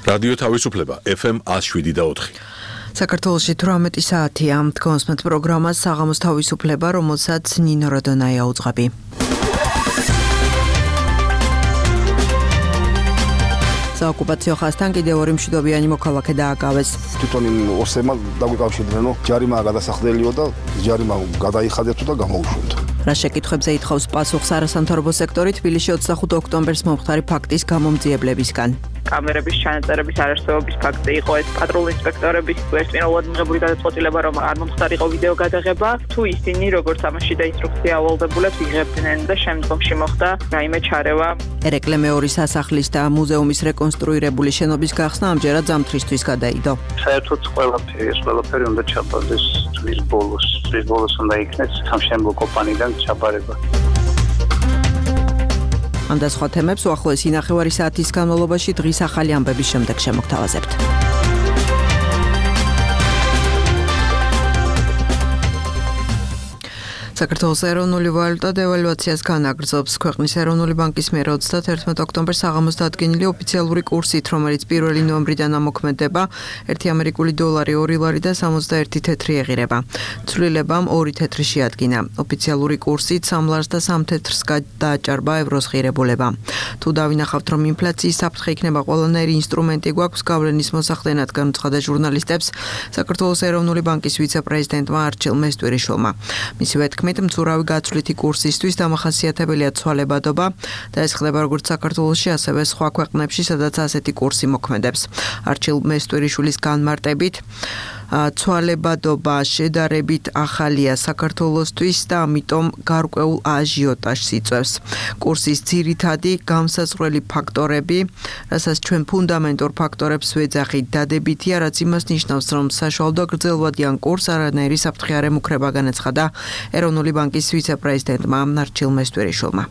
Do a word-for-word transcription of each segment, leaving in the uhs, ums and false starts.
რადიო თავისუფლება ეფ ემ one oh seven და four. საქართველოში თვრამეტი საათია თქვენსმეთ პროგრამას საღამოს თავისუფლება, რომელსაც ნინო როდონაია უძღვები. საოკუპაციო ხაზთან კიდევ ორი მშვიდობიანი მოქალაქე დააკავეს. თვითონ იმ ოსებმა დაგვიკავშირდნენ, რომ ჯარიმაა გადასახდელიო და ჯარიმა გადაიხადეთ და გამოუშვათ. რა შეკითხვებზე ითხოვს პასუხს არასამთავრობო სექტორი თბილისში ოცდახუთი ოქტომბერს მომხდარი ფაქტის გამომძიებლებისგან. კამერების ჩანაწერების არარსებობის ფაქტი იყო ეს პატრულ ინსპექტორების ერთმანეთად მიღებული გადაწყვეტილება, რომ არ მომხდარიყო ვიდეო გადაღება, თუ ისინი როგორც ამაში და ინსტრუქცია ავალდებულებს იღებდნენ და შემდგომში მოხდა რაიმე ჩარევა. ერეკლე მეორის სასახლის და მუზეუმის რეკონსტრუირებული შენობის გახსნა ამჯერად ზამთრისთვის გადაიდო. საერთოდ ყველაფერი ეს ყველაფერი უნდა ჩაბარდეს თვის ბოლოს, თვის ბოლოს უნდა იქნეს სამშენებლო კომპანიიდან ჩაბარება. ამ და სხვა თემებს უახლოესი ნახევარი საათის განმავლობაში დღის ახალი ამბების შემდეგ შემოგთავაზებთ. საქართველოს ეროვნული ვალუტა დევალვაციას განაგრძობს. ქვეყნის ეროვნული ბანკის მიერ ოცდაათი ოქტომბერს საღამოს დადგენილი ოფიციალური კურსით, რომელიც პირველი ნოემბრიდან ამოქმედება, ერთი ამერიკული დოლარი ორი ლარი და სამოცდაერთი თეთრი ეღირება. ცვლილებამ ორი თეთრი შეადგინა. ოფიციალური კურსით სამ ლარს და სამ თეთრს დააჭარბა ევროს ღირებულება. თუ დავინახავთ, რომ ინფლაციის საფრთხე იქნება ყველანაირი ინსტრუმენტი გვაქვს გავლენის მოსახდენად, განუცხადა ჟურნალისტებს საქართველოს ეროვნული ბანკის ვიცე-პრეზიდენტმა არჩილ მესტვირიშვილმა. მისივე თქმით, მცურავი გაცვლითი კურსისთვის დამახასიათებელია ცვალებადობა და ეს ხდება როგორც საქართველოში, ასევე სხვა ქვეყნებში, სადაც ასეთი კურსი მოქმედებს. არჩილ მესტვირიშვილის განმარტებით, ცვალებადობა შედარებით ახალია საქართველოსთვის და ამიტომ გარკვეულ აჟიოტაჟს იწვევს. კურსის ძირითადი განსაზღვრელი ფაქტორები, რასაც ჩვენ ფუნდამენტურ ფაქტორებს ვეძახით, დადებითია, რაც იმას ნიშნავს, რომ საშუალო და გრძელვადიან კურსს არანაირი საფრთხე არ ემუქრება, განაცხადა ეროვნული ბანკის ვიცე-პრეზიდენტმა არჩილ მესტვირიშვილმა.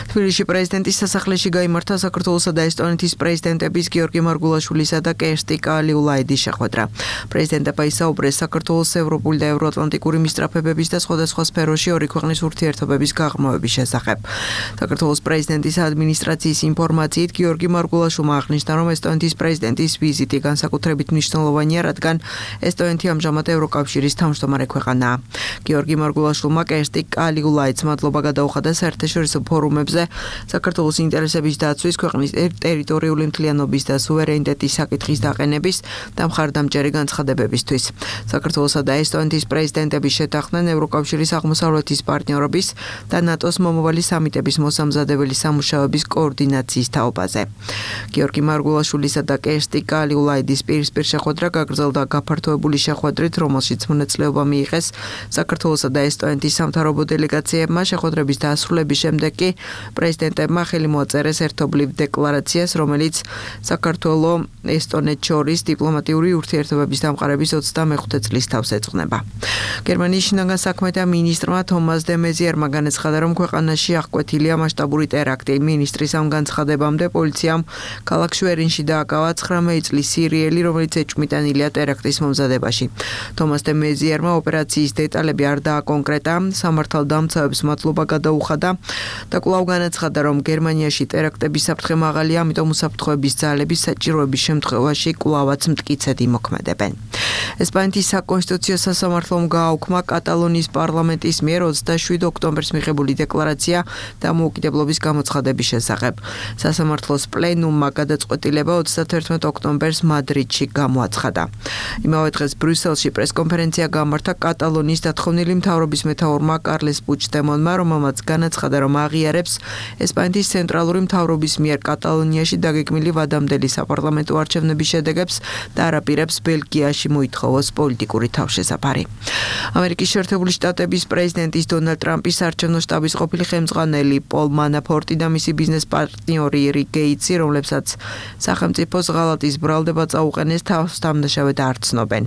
თბილისში პრეზიდენტის სასახლეში გაიმართა საქართველოსა და ესტონეთის პრეზიდენტების გიორგი მარგულაშვილისა და კერსტი კალიულაიდის შეხვედრა. პრეზიდენტებმა ისაუბრეს საქართველოს ევროპული და ევროატლანტიკური მისწრაფებების და სხვადასხვა სფეროში ორი ქვეყნის ურთიერთობების გაღრმავების შესახებ. საქართველოს პრეზიდენტის ადმინისტრაციის ინფორმაციით გიორგი მარგულაშვილმა აღნიშნა, რომ ესტონეთის პრეზიდენტის ვიზიტი განსაკუთრებით მნიშვნელოვანია, რადგან ესტონეთი ამჟამად ევროკავშირის თავმჯდომარე ქვეყანაა. გიორგი მარგულაშვილმა კერსტი კალიულაიდს მადლობა გადაუხადა საერთაშორისო ფორუმებზე საქართველოს ინტერესების დაცვის, ქვეყნის ტერიტორიული მთლიანობის და სუვერენიტეტის საკითხის დაყენების და მხარდამჭერი განცხადებებისთვის. საქართველოსა და ესტონეთის პრეზიდენტები შეთანხმდნენ ევროკავშირის აღმოსავლეთის პარტნიორობის და ნატოს მომავალი სამიტების მოსამზადებელი სამუშაოების კოორდინაციის თაობაზე. გიორგი მარგულაშვილისა და კერსტი კალიულაიდის პირისპირ შეხვედრა გაგრძელდა გაფართოებული შეხვედრით, რომელშიც მონაწილეობა მიიღეს საქართველოსა და ესტონეთის სამთავრობო დელეგაციებმა. შეხვედრების დასრულების შემდეგ კი პრეზიდენტებმა ხელი მოაწერეს ერთობლივ დეკლარაციას, რომელიც საქართველოს ესტონეთს შორის დიპლომატიური ურთიერთობების დამყარების ოცდამეხუთე წლის თავს ეძღვნება. გერმანიის შინაგან საქმეთა მინისტრმა თომას დე მეზიერმა განაცხადა, რომ ქვეყანაში აღკვეთილია მასშტაბური ტერაქტი. მინისტრის ამ განცხადებამდე პოლიციამ ქალაქ შვერინში დააკავა ცხრამეტი წლის სირიელი, რომელიც ეჭვმიტანილია ტერაქტის მომზადებაში. თომას დე მეზიერმა ოპერაციის დეტალები არ დააკონკრეტა, სამართალდამცავებს მადლობა გადაუხადა და კვლავ განაცხადა, რომ გერმანიაში ტერაქტების საფრთხე მაღალია, ამიტომ უსაფრთხოების ძალები საჭიროების შემთხვევაში კვლავაც მტკიცედ იმოქმედებენ. ესპანეთის საკონსტიტუციო სასამართლომ გააუქმა კატალონიის პარლამენტის მიერ ოცდაშვიდ ოქტომბერს მიღებული დეკლარაცია დამოუკიდებლობის გამოცხადების შესახებ. სასამართლოს პლენუმმა გადაწყვეტილება ოცდაათი ოქტომბერს მადრიდში გამოაცხადა. იმავე დღეს ბრიუსელში პრესკონფერენცია გამართა კატალონიის დათხოვნილი მთავრობის მეთაურმა კარლეს პუჩდემონმა, რომელმაც განაცხადა, რომ აღიარებს ესპანეთის ცენტრალური მთავრობის მიერ კატალონიაში დაგეგმილი ვადამდელი საპარლამენტო არჩევნების შედეგებს და არაპირებს ბელგიაში მოითხოვოს პოლიტიკური თავშესაფარი. ამერიკის შეერთებული შტატების პრეზიდენტის დონალდ ტრამპის საარჩევნო შტაბის ყოფილი ხელმძღვანელი პოლ მანაფორტი და მისი ბიზნეს პარტნიორი რიკ გეიტსი, რომლებსაც სახელმწიფოს ღალატის ბრალდება წაუყენეს, თავს დამნაშავედ არ ცნობენ.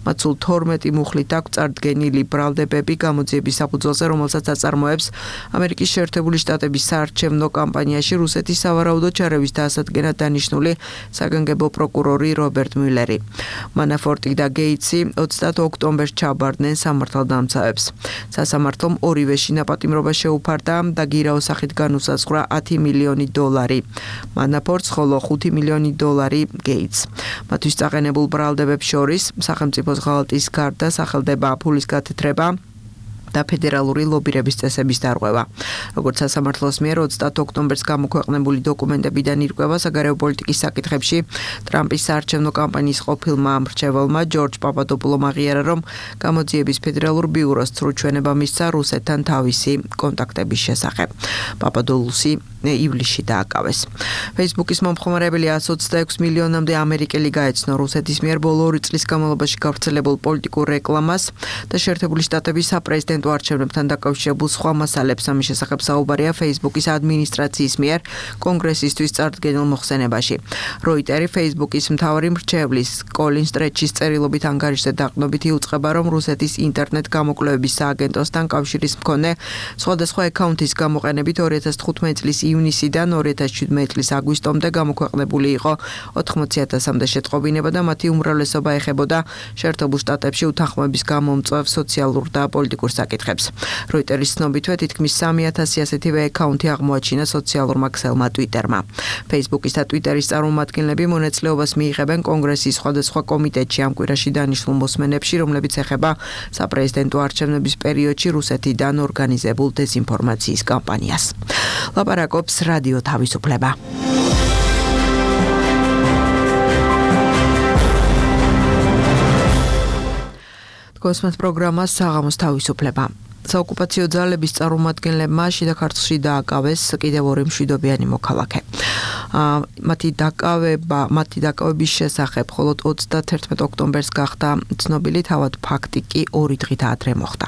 მათ სულ თორმეტი მუხლით აქვს წარდგენილი ბრალდებები გამოძიების საფუძველზე, რომელსაც აწარმოებს ამერიკის შეერთებული შტატების საარჩევნო კამპანიაში რუსეთის სავარაუდო ჩარევის დასადგენად დანიშნული საგანგებო პროკურორი რობერტ მიულერი. მანაფორტი და გეიცი ოცდაათ ოქტომბერს ჩაბარდნენ სამართალდამცავებს. სასამართლომ ორივეში ნაპატიმრობა შეუფარდა და გირაოს სახით განუსაზღვრა ათი მილიონი დოლარი. მანაფორტს, ხოლო ხუთი მილიონი დოლარი გეიცს. მათთვის წაყენებულ ბრალდებებს შორის სახელმწიფოს ღალატის გარდა სახელდება ფულის გათეთრება და ფედერალური ლობირების წესების დარღვევა. როგორც სასამართლოს მიერ ოცდაათ ოქტომბერს გამოქვეყნებული დოკუმენტებიდან ირკვევა საგარეო პოლიტიკის საკითხებში ტრამპის საარჩევნო კამპანიის ყოფილმა მრჩეველმა ჯორჯ პაპადოპულომ აღიარა, რომ გამოძიების ფედერალურ ბიუროს ცრუჩვენება მისცა რუსეთთან თავისი კონტაქტების შესახებ. პაპადოპულოსი ივლისში დააკავეს. Facebook-ის მომხმარებელი εκατს ოცდაექვსი მილიონამდე ამერიკელი გაეცნო რუსეთის მიერ ბოლო ორი წლის განმავლობაში გავრცელებულ პოლიტიკურ რეკლამას და შეერთებული შტატების საპრეზიდენტო არჩევნებთან დაკავშირებულ სხვა მასალებს. ამის შესახებ საუბარია Facebook-ის ადმინისტრაციის მიერ კონგრესისთვის წარდგენილ მოხსენებაში. როიტერი Facebook-ის მთავარი მრჩევლის კოლინ სტრეჩის წერილობით ანგარიშზე დაყრდნობით იუწყება, რომ რუსეთის ინტერნეტ გამოკვლევების სააგენტოსთან კავშირის მქონე სხვადასხვა აკაუნთის გამოყენებით ორი ათას თხუთმეტი წლის ივნისიდან ორი ათას შვიდმეტი წლის აგვისტომდე გამოქვეყნებული იყო ოთხმოცი ათასამდე შეტყობინება და მათი უმრავლესობა ეხებოდა შეერთებულ შტატებში უთანხმოების გამომწვევ სოციალურ და პოლიტიკურ საკითხებს. როიტერის ცნობითვე თითქმის სამი ათასი ასეთივე აკაუნთი აღმოაჩინა სოციალურმა ქსელმა Twitter-მა. Facebook-ის და Twitter-ის წარმომადგენლები მონაწილეობას მიიღებენ კონგრესის სხვადასხვა კომიტეტში ამ კვირაში დანიშნულ მოსმენებში, რომლებიც ეხება საპრეზიდენტო არჩევნების პერიოდში რუსეთიდან ორგანიზებულ დეზინფორმაციის კამპანიას. ლაპარაკობს რადიო თავისუფლება. კოსმოს პროგრამა საღამოს თავისუფლება. საოკუპაციო ძალების წარმომადგენლებმა შიდა ქართლში დააკავეს კიდევ ორი მშვიდობიანი მოქალაქე. მათი დაკავება, მათი დაკავების შესახებ მხოლოდ ოცდაათერთმეტი ოქტომბერს გახდა ცნობილი, თავად ფაქტი კი ორი დღით ადრე მოხდა.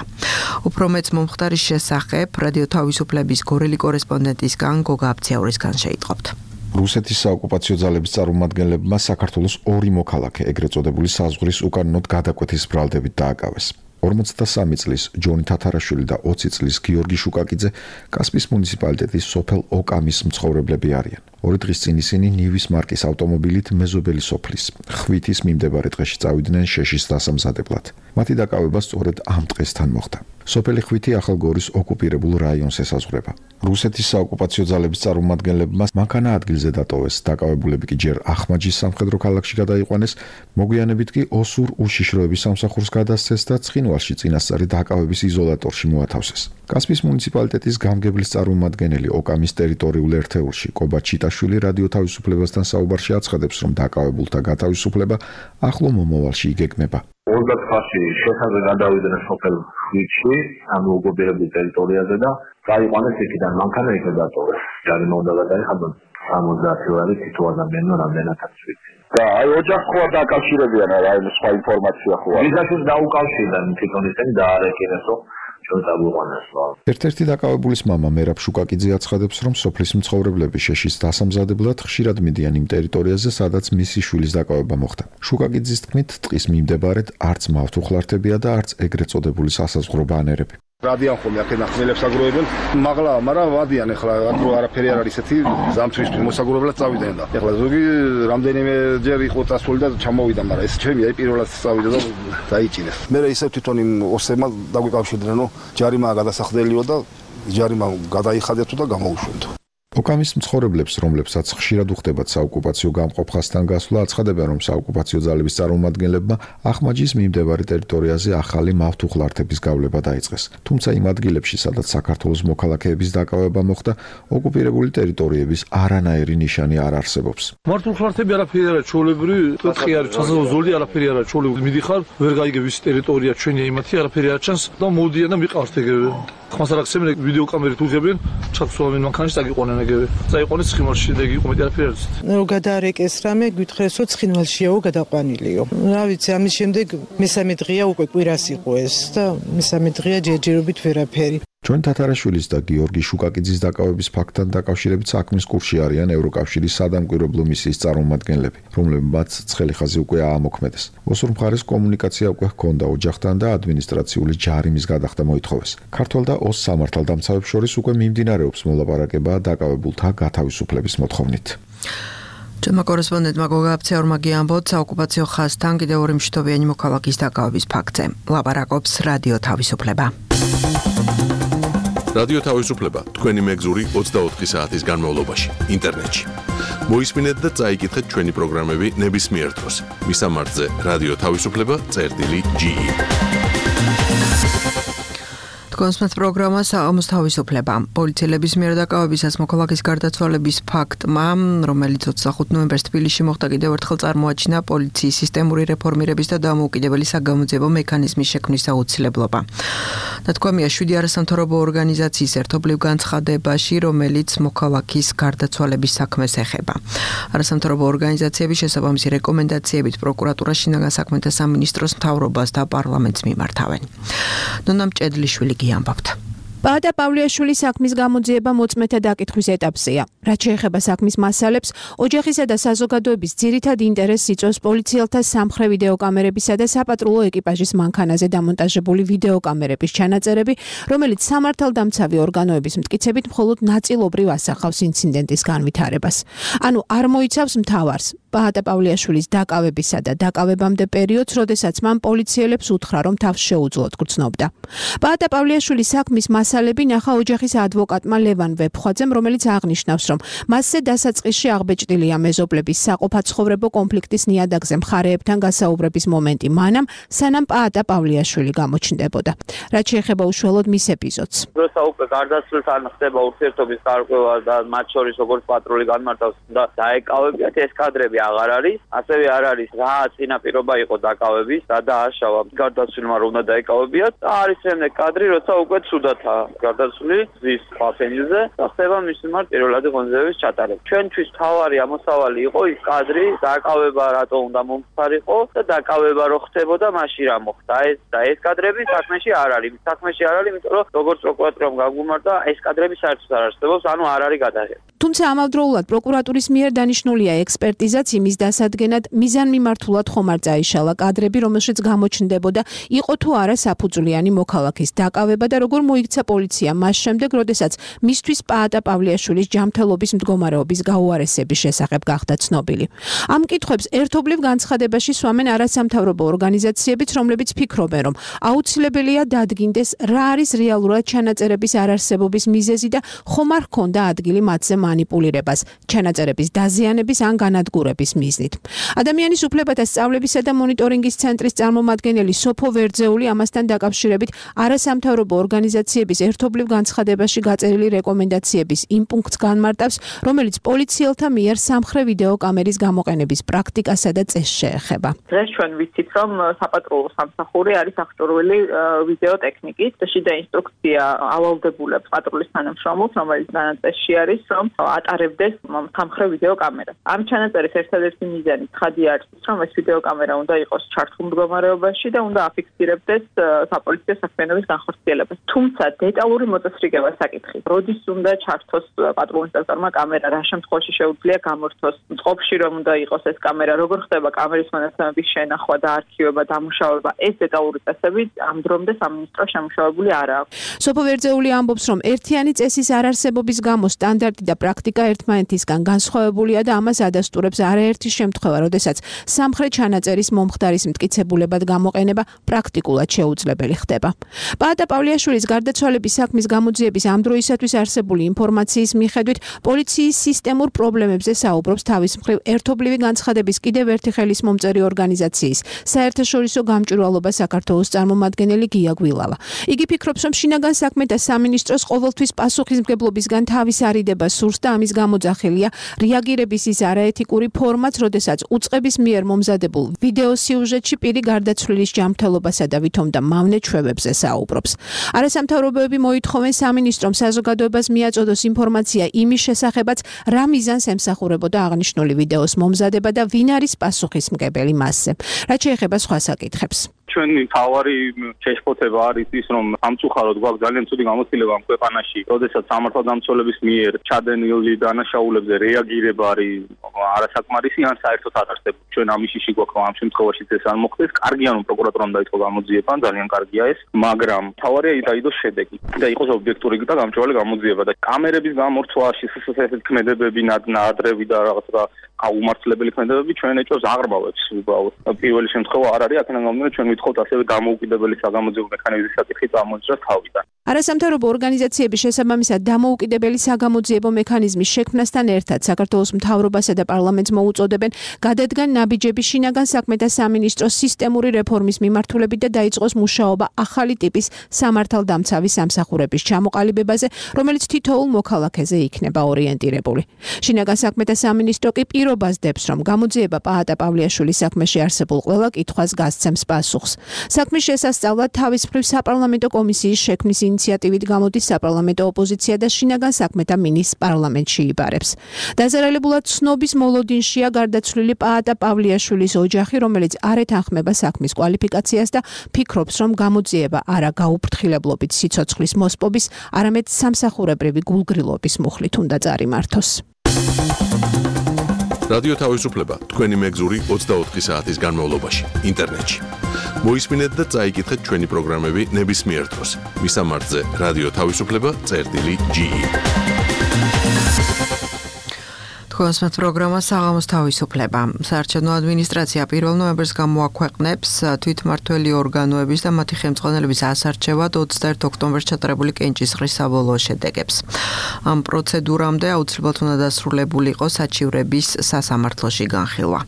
უფრო მეც მომხდარის შესახებ რადიო თავისუფლების გორელი კორესპონდენტისგან გოგა აბციაურისგან შეიტყობთ. რუსეთის საოკუპაციო ძალების წარმომადგენლებმა საქართველოს ორი მოქალაქე, ეგრეთ წოდებული საზღვრის უკანონოდ გადაკვეთის ბრალდებით დააკავეს. ორმოცდასამი წლის ჯონი თათარაშვილი და ოცი წლის გიორგი შუკაკიძე კასპის მუნიციპალიტეტის სოფელ ოკამის მცხოვრებლები არიან. ორი დღის წინ ისინი ნივის მარკის ავტომობილით მეზობელი სოფლის ხვითის მიმდებარე ტყეში წავიდნენ შეშის დასამზადებლად. მათი დაკავება სწორედ ამ ტყესთან მოხდა. სოფელი ხვითი ახალგორის ოკუპირებულ რაიონს ესაზღვრება. რუსეთის საოკუპაციო ძალების წარმომადგენლებმა მანქანა ადგილზე დატოვეს, დაკავებულები კი ჯერ ახმაჯის სამხედრო ქალაქში გადაიყვანეს, მოგვიანებით კი ოსურ უშიშროების სამსახურს გადასცეს და ცხინვალში წინასწარი დაკავების იზოლატორში მოათავსეს. კასპის მუნიციპალიტეტის გამგებლის წარმომადგენელი ოკამის ტერიტორიულ ერთეულში კობა ჩიტაშვილი რადიო თავისუფლებასთან საუბარში აცხადებს, რომ დაკავებულთა გათავისუფლება ახლო მომავალში იგეგმება. ოცდაათში შესაძლოა გადავიდნენ სოფელ ხვითში, ამ ოკუპირებულ ტერიტორიაზე და გაიყვანეს იქიდან მანქანა იქ დატოვეს. ჯარიმა უნდა გადაიხადონ სამოცდაათი ლარი თითო ადამიანო რამდენადაც ვიცი. და აი ოჯახს ხო დაკავშირებიან რა აი სხვა ინფორმაცია ხო არის. ვიზაშიც დაუკავშირდნენ თვითონ ისინი და არეკინესო ერთ-ერთი დაკავებულის მამა მერაბ შუკაკიძე აცხადებს, რომ სოფლის მცხოვრებლები შეშის დასამზადებლად ხშირად მიდიან იმ ტერიტორიაზე, სადაც მისი შვილის დაკავება მოხდა. შუკაკიძის თქმით, ტყის მიმდებარედ არც მავთუხლართებია და არც ეგრეთ წოდებული სასაზღვრო ბანერები. რადიან ხოლმე აქედან ხმელებს აგროვებენ, მაღლა, მაგრამ ვადიან ახლა აგრო არაფერი არ არის ესეთი ზამთრისთვის მოსაგროვებლად წავიდნენ და ახლა ზოგი რამდენიმე ჯერ იყო წასული და ჩამოვიდა, მაგრამ ეს ჩემი აი პირველად წავიდა და დაიჭინეს. მე ისევ თვითონ იმ ოსებმა დაგვიკავშირდნენ, რომ ჯარიმა გადასახდელიო და ჯარიმა გადაიხადეთო და გამოუშვენთო. ოკამის მცხოვრებლებს, რომლებსაც ხშირად უხდებათ საოკუპაციო გამყოფხასთან გასვლა, აცხადებენ, რომ საოკუპაციო ძალების წარმომადგენლებმა ახმაჯის მიმდებარე ტერიტორიაზე ახალი მავთუხლართების გავლება დაიწყეს. თუმცა იმ ადგილებში, სადაც საქართველოს მოქალაქეების დაკავება მოხდა, ოკუპირებული ტერიტორიების არანაირი ნიშანი არ არსებობს. მავთუხლართები არაფერი არა ჩოლებრივი, თხი არის ჩასაზღვრო ზოლი არაფერი არა ჩოლებრივი. მიდიხარ, ვერ გაიგებ ის ტერიტორია ჩვენია იმათი, არაფერი არ ჩანს და მოვდიან და მიყავთ ეგრევე. ხმას არ აქცევენ ვიდეო კამერით უღებენ, ჩაქსვავენ მანქანაში დაგიყვანენ ეგრევე. წაიყვანეს ცხინვალში და იგი კომენტი არაფერი არ არის. რომ გადაარეკეს რამე, გითხრეს რომ ცხინვალშიაო გადაყვანილიო. რა ვიცი, ამის შემდეგ მესამე დღეა უკვე კვირას იყო ეს და მესამე დღეა ჯერჯერობით ვერაფერი. ჯონ თათარაშვილის და გიორგი შუკაკიძის დაკავების ფაქტთან დაკავშირებით საქმის კურსში არიან ევროკავშირის სადამკვირვებლო მისიის წარმომადგენლები, რომლებმაც ცხელი ხაზი უკვე აამოქმედეს. ოსურ მხარეს კომუნიკაცია უკვე ჰქონდა ოჯახთან და ადმინისტრაციული ჯარიმის გადახდა მოითხოვეს. ქართველ და ოს სამართალდამცავებს შორის უკვე მიმდინარეობს მოლაპარაკება დაკავებულთა გათავისუფლების მოთხოვნით. Ჩვენმა კორესპონდენტმა გოგა აფცეორმა გიამბოთ საოკუპაციო ხაზთან კიდევ ორი მშვიდობიანი მოქალაქის დაკავების ფაქტზე. ლაპარაკობს რადიო თავისუფლება. რადიო თავისუფლება თქვენი მეგზური ოცდაოთხი საათის განმავლობაში ინტერნეტში. მოისმინეთ და წაიკითხეთ ჩვენი პროგრამები ნებისმიერ დროს. მისამართზე რადიო თავისუფლება წერტილი ჯი ი. კონსმეთ პროგრამა საამოს თავისუფლება. პოლიციელების მიერ დაკავებისას მოქალაქის გარდაცვალების ფაქტმა, რომელიც ოცდახუთ ნოემბერს თბილისში მოხდა, კიდევ ერთხელ წარმოაჩინა პოლიციის სისტემური რეფორმირების და დამოუკიდებელი საგამოძიებო მექანიზმის შექმნის აუცილებლობა. Დათქვამია შვიდი არასამთავრობო ორგანიზაციის ერთობლივ განცხადებაში, რომელიც მოქალაქის გარდაცვალების საქმეს ეხება. არასამთავრობო ორგანიზაციების შესაბამისი რეკომენდაციებით პროკურატურა შინაგან საქმეთა სამინისტროს მთავრობას და პარლამენტს მიმართავენ. ნონა მჭედლიშვილი გიამბობთ. პაატა პავლიაშვილის საქმის გამოძიება მოწმეთა დაკითხვის ეტაპზეა. რაც შეეხება საქმის მასალებს, ოჯახისა და საზოგადოების ძირითად ინტერესს იწვევს პოლიციელთა სამხრე ვიდეოკამერებისა და საპატრულო ეკიპაჟის მანქანაზე დამონტაჟებული ვიდეოკამერების ჩანაწერები, რომელიც სამართალდამცავი ორგანოების მტკიცებით მხოლოდ ნაწილობრივ ასახავს ინციდენტის განვითარებას. ანუ არ მოიცავს მთავარს, პაატა პავლიაშვილის დაკავებისა და დაკავებამდე პერიოდს, როდესაც მან პოლიციელებს უთხრა, რომ თავს შეუძლოდ გრძნობდა. პაატა პავლიაშვილის საქმის მასალები ნახა ოჯახის ადვოკატმა ლევან ვეფხვაძემ, რომელიც აღნიშნავს, რომ მასზე დასაწყისში აღბეჭდილია მეზობლების საყოფაცხოვრებო კონფლიქტის ნიადაგზე მხარეებთან გასაუბრების მომენტი მანამ, სანამ პაატა პავლიაშვილი გამოჩნდებოდა. რაც შეეხება უშუალოდ მის ეპიზოდს. როცა უკვე გარდაცვლილთან ხდება ურთიერთობის გარკვევა და მათ შორის როგორც პატრული განმარტავს და დაეკავებიათ, ეს კადრები აღარ არის, ასევე არ არის რა წინაპირობა იყო დაკავების და დააშავა გარდაცვლილმა რომ უნდა დაეკავებიათ და არის შემდეგ კადრი, როცა უკვე ცუდათა გარდაცვლილი ზის ფაფენილზე და ხდება მის მიმართ პირველადი ღონისძიების ჩატარება. ჩვენთვის თავარი ამოსავალი იყო ის კადრი, დაკავება რატო უნდა მომხდარიყო და დაკავება რო ხდებოდა, მაშინ რა მოხდა. ეს და ეს კადრები საქმეში არ არის. საქმეში არ არის, იმიტომ რომ როგორც პროკურატურამ გაგვიმართა, ეს კადრები საერთოდ არ არსებობს, ანუ არ არის გადაღება. თუმცა ამავდროულად პროკურატურის მიერ დანიშნულია ექსპერტიზაც იმის დასადგენად, მიზანმიმართულად ხომ არ წაიშალა კადრები, რომელშიც გამოჩნდებოდა, იყო თუ არა საფუძვლიანი მოქალაქის დაკავება და როგორ მოიქცა პოლიცია მას შემდეგ, როდესაც მისთვის პაატა პავლიაშვილის ჯანმრთელობის მდგომარეობის გაუარესების შესახებ გახდა ცნობილი. ამ კითხვებს ერთობლივ განცხადებაში სვამენ არასამთავრობო ორგანიზაციებიც, რომლებიც ფიქრობენ, რომ აუცილებელია დადგინდეს, რა არის რეალურად ჩანაწერების არარსებობის მიზეზი და ხომ არ ჰქონდა ადგილი მათზე მანიპულირებას, ჩანაწერების დაზიანების ან განადგურების მიზნით. ადამიანის უფლებათა სწავლებისა და მონიტორინგის ცენტრის წარმომადგენელი სოფო ვერძეული ამასთან დაკავშირებით არასამთავრობო ორგანიზაციების ერთობლივ განცხადებაში გაწერილი რეკომენდაციების იმ პუნქტს განმარტავს, რომელიც პოლიციელთა მიერ სამხრე ვიდეოკამერის გამოყენების პრაქტიკასა და წესს შეეხება. დღეს ჩვენ ვიცით, რომ საპატრულო სამსახური არის აღჭურვილი ვიდეოტექნიკით და შიდა ინსტრუქცია ავალდებულებს პატრულის თანამშრომლებს, რომელიც დანაწესში არის, რომ ატარებდეს სამხრე ვიდეოკამერას. ამ ჩანაწერის ერთადერთი მიზანი ცხადი არის, რომ ეს ვიდეოკამერა უნდა იყოს ჩართულ მდგომარეობაში და უნდა აფიქსირებდეს საპოლიციო საქმიანობის განხორციელებას. თუმცა დეტალური მოწესრიგება საკითხი, როდის უნდა ჩართოს პატრულ ინსპექტორმა კამერა, რა შემთხვევაში შეუძლია გამორთოს, წყობაში რომ უნდა იყოს ეს კამერა, როგორ ხდება კამერის მონაცემების შენახვა და არქივება, დამუშავება, ეს დეტალური წესები ამ დრომდე სამინისტრო შემუშავებული არ აქვს. სოფო ვერძეული ამბობს, რომ ერთიანი წესის არარსებობის გამო სტანდარტი და პრაქტიკა ერთმანეთისგან განსხვავებულია და ამას ადასტურებს არაერთი შემთხვევა, როდესაც სამხრეთ ჩანაწერის მომხდარის მტკიცებულებად გამოყენება პრაქტიკულად შეუძლებელი ხდება. პაატა პავლიაშვილის გარდაცვალების საქმის გამოძიების ამ დროისათვის არსებული ინფორმაციის მიხედვით, პოლიციის სისტემურ პრობლემებზე საუბრობს თავის მხრივ ერთობლივი განცხადების კიდევ ერთი ხელისმომწერი ორგანიზაციის საერთაშორისო გამჭვირვალობა საქართველოს წარმომადგენელი გია გვილავა. იგი ფიქრობს, რომ შინაგან საქმეთა სამინისტროს ყოველთვის პასუხისმგებლობისგან თავის არიდება სურს და ამის გამოძახილია რეაგირების ის არაეთიკური ფორმაც, როდესაც უწყების მიერ მომზადებულ ვიდეო სიუჟეტში პირი გარდაცვლილის ჯანმრთელობასა და ვითომ და მავნე ჩვევებზე საუბრობს. არასამთავრობოები მოითხოვენ სამინისტრომ საზოგადოებას მიაწოდოს ინფორმაცია იმის შესახებაც, რა მიზანს ემსახურებოდა აღნიშნული ვიდეოს მომზადება და ვინ არის პასუხისმგებელი მასზე. რაც შეეხება სხვა საკითხებს. ჩვენი თავარი შეშფოთება არის ის, რომ სამწუხაროდ გვაქვს ძალიან ცუდი გამოცდილება ამ ქვეყანაში, როდესაც სამართალდამცველების მიერ ჩადენილი დანაშაულებზე რეაგირება არის არასაკმარისი ან საერთოდ არ არსებობს. ჩვენ ამიშიში გვაქვს, რომ ამ შემთხვევაში ეს არ მოხდეს. კარგია, რომ პროკურატურამ დაიწყო გამოძიება, ძალიან კარგია ეს, მაგრამ თავარია დაიდოს შედეგი და იყოს ობიექტური და გამჭვირვალე გამოძიება და კამერების გამორთვაში ესეთი ქმედებები, ნადრევი და რაღაცა აუმართლებელი ქმედებები ჩვენ ეჭვს აღრმავებს უბრალოდ. პირველი შემთხვევა არ არის, აქედან გამომდინარე ჩვენ ვითხოვთ ასევე დამოუკიდებელი საგამოძიებო მექანიზმის საკითხი წამოიძრას თავიდან. არასამთავრობო ორგანიზაციების შესაბამისად დამოუკიდებელი საგამოძიებო მექანიზმის შექმნასთან ერთად საქართველოს მთავრობასა და პარლამენტს მოუწოდებენ გადადგან ნაბიჯების შინაგან საქმეთა სამინისტროს სისტემური რეფორმის მიმართულებით და დაიწყოს მუშაობა ახალი ტიპის სამართალდამცავი სამსახურების ჩამოყალიბებაზე, რომელიც თითოეულ მოქალაქეზე იქნება ორიენტირებული. შინაგან საქმეთა სამინისტრო კი პირობას დებს, რომ გამოძიება პაატა პავლიაშვილის საქმეში არსებულ ყველა კითხვას გასცემს პასუხს. საქმის შესასწავლად თავის მხრივ საპარლამენტო კომისიის შექმნის ინიციატივით გამოდის საპარლამენტო ოპოზიცია და შინაგან საქმეთა მინისტრს პარლამენტში იბარებს. დაზარალებულად ცნობის მოლოდინშია გარდაცვლილი პაატა პავლიაშვილის ოჯახი, რომელიც არ ეთანხმება საქმის კვალიფიკაციას და ფიქრობს, რომ გამოძიება არა გაუფრთხილებლობით სიცოცხლის მოსპობის, არამედ სამსახურებრივი გულგრილობის მუხლით უნდა წარიმართოს. რადიო თავისუფლება თქვენი მეგზური ოცდაოთხი საათის განმავლობაში ინტერნეტში. მოისმინეთ და წაიკითხეთ ჩვენი პროგრამები ნებისმიერ დროს. მისამართზე რადიო თავისუფლება წერტილი ჯი ი. თქვენს პროგრამა საღამოს თავისუფლება. საარჩევნო ადმინისტრაცია პირველ ნოემბერს გამოაქვეყნებს თვითმმართველი ორგანოების და მათი ხელმძღვანელების ასარჩევად ოცდაერთი ოქტომბერს ჩატარებული კენჭისყრის საბოლოო შედეგებს. ამ პროცედურამდე აუცილებლად უნდა დასრულებული იყოს საჩივრების სასამართლოში განხილვა.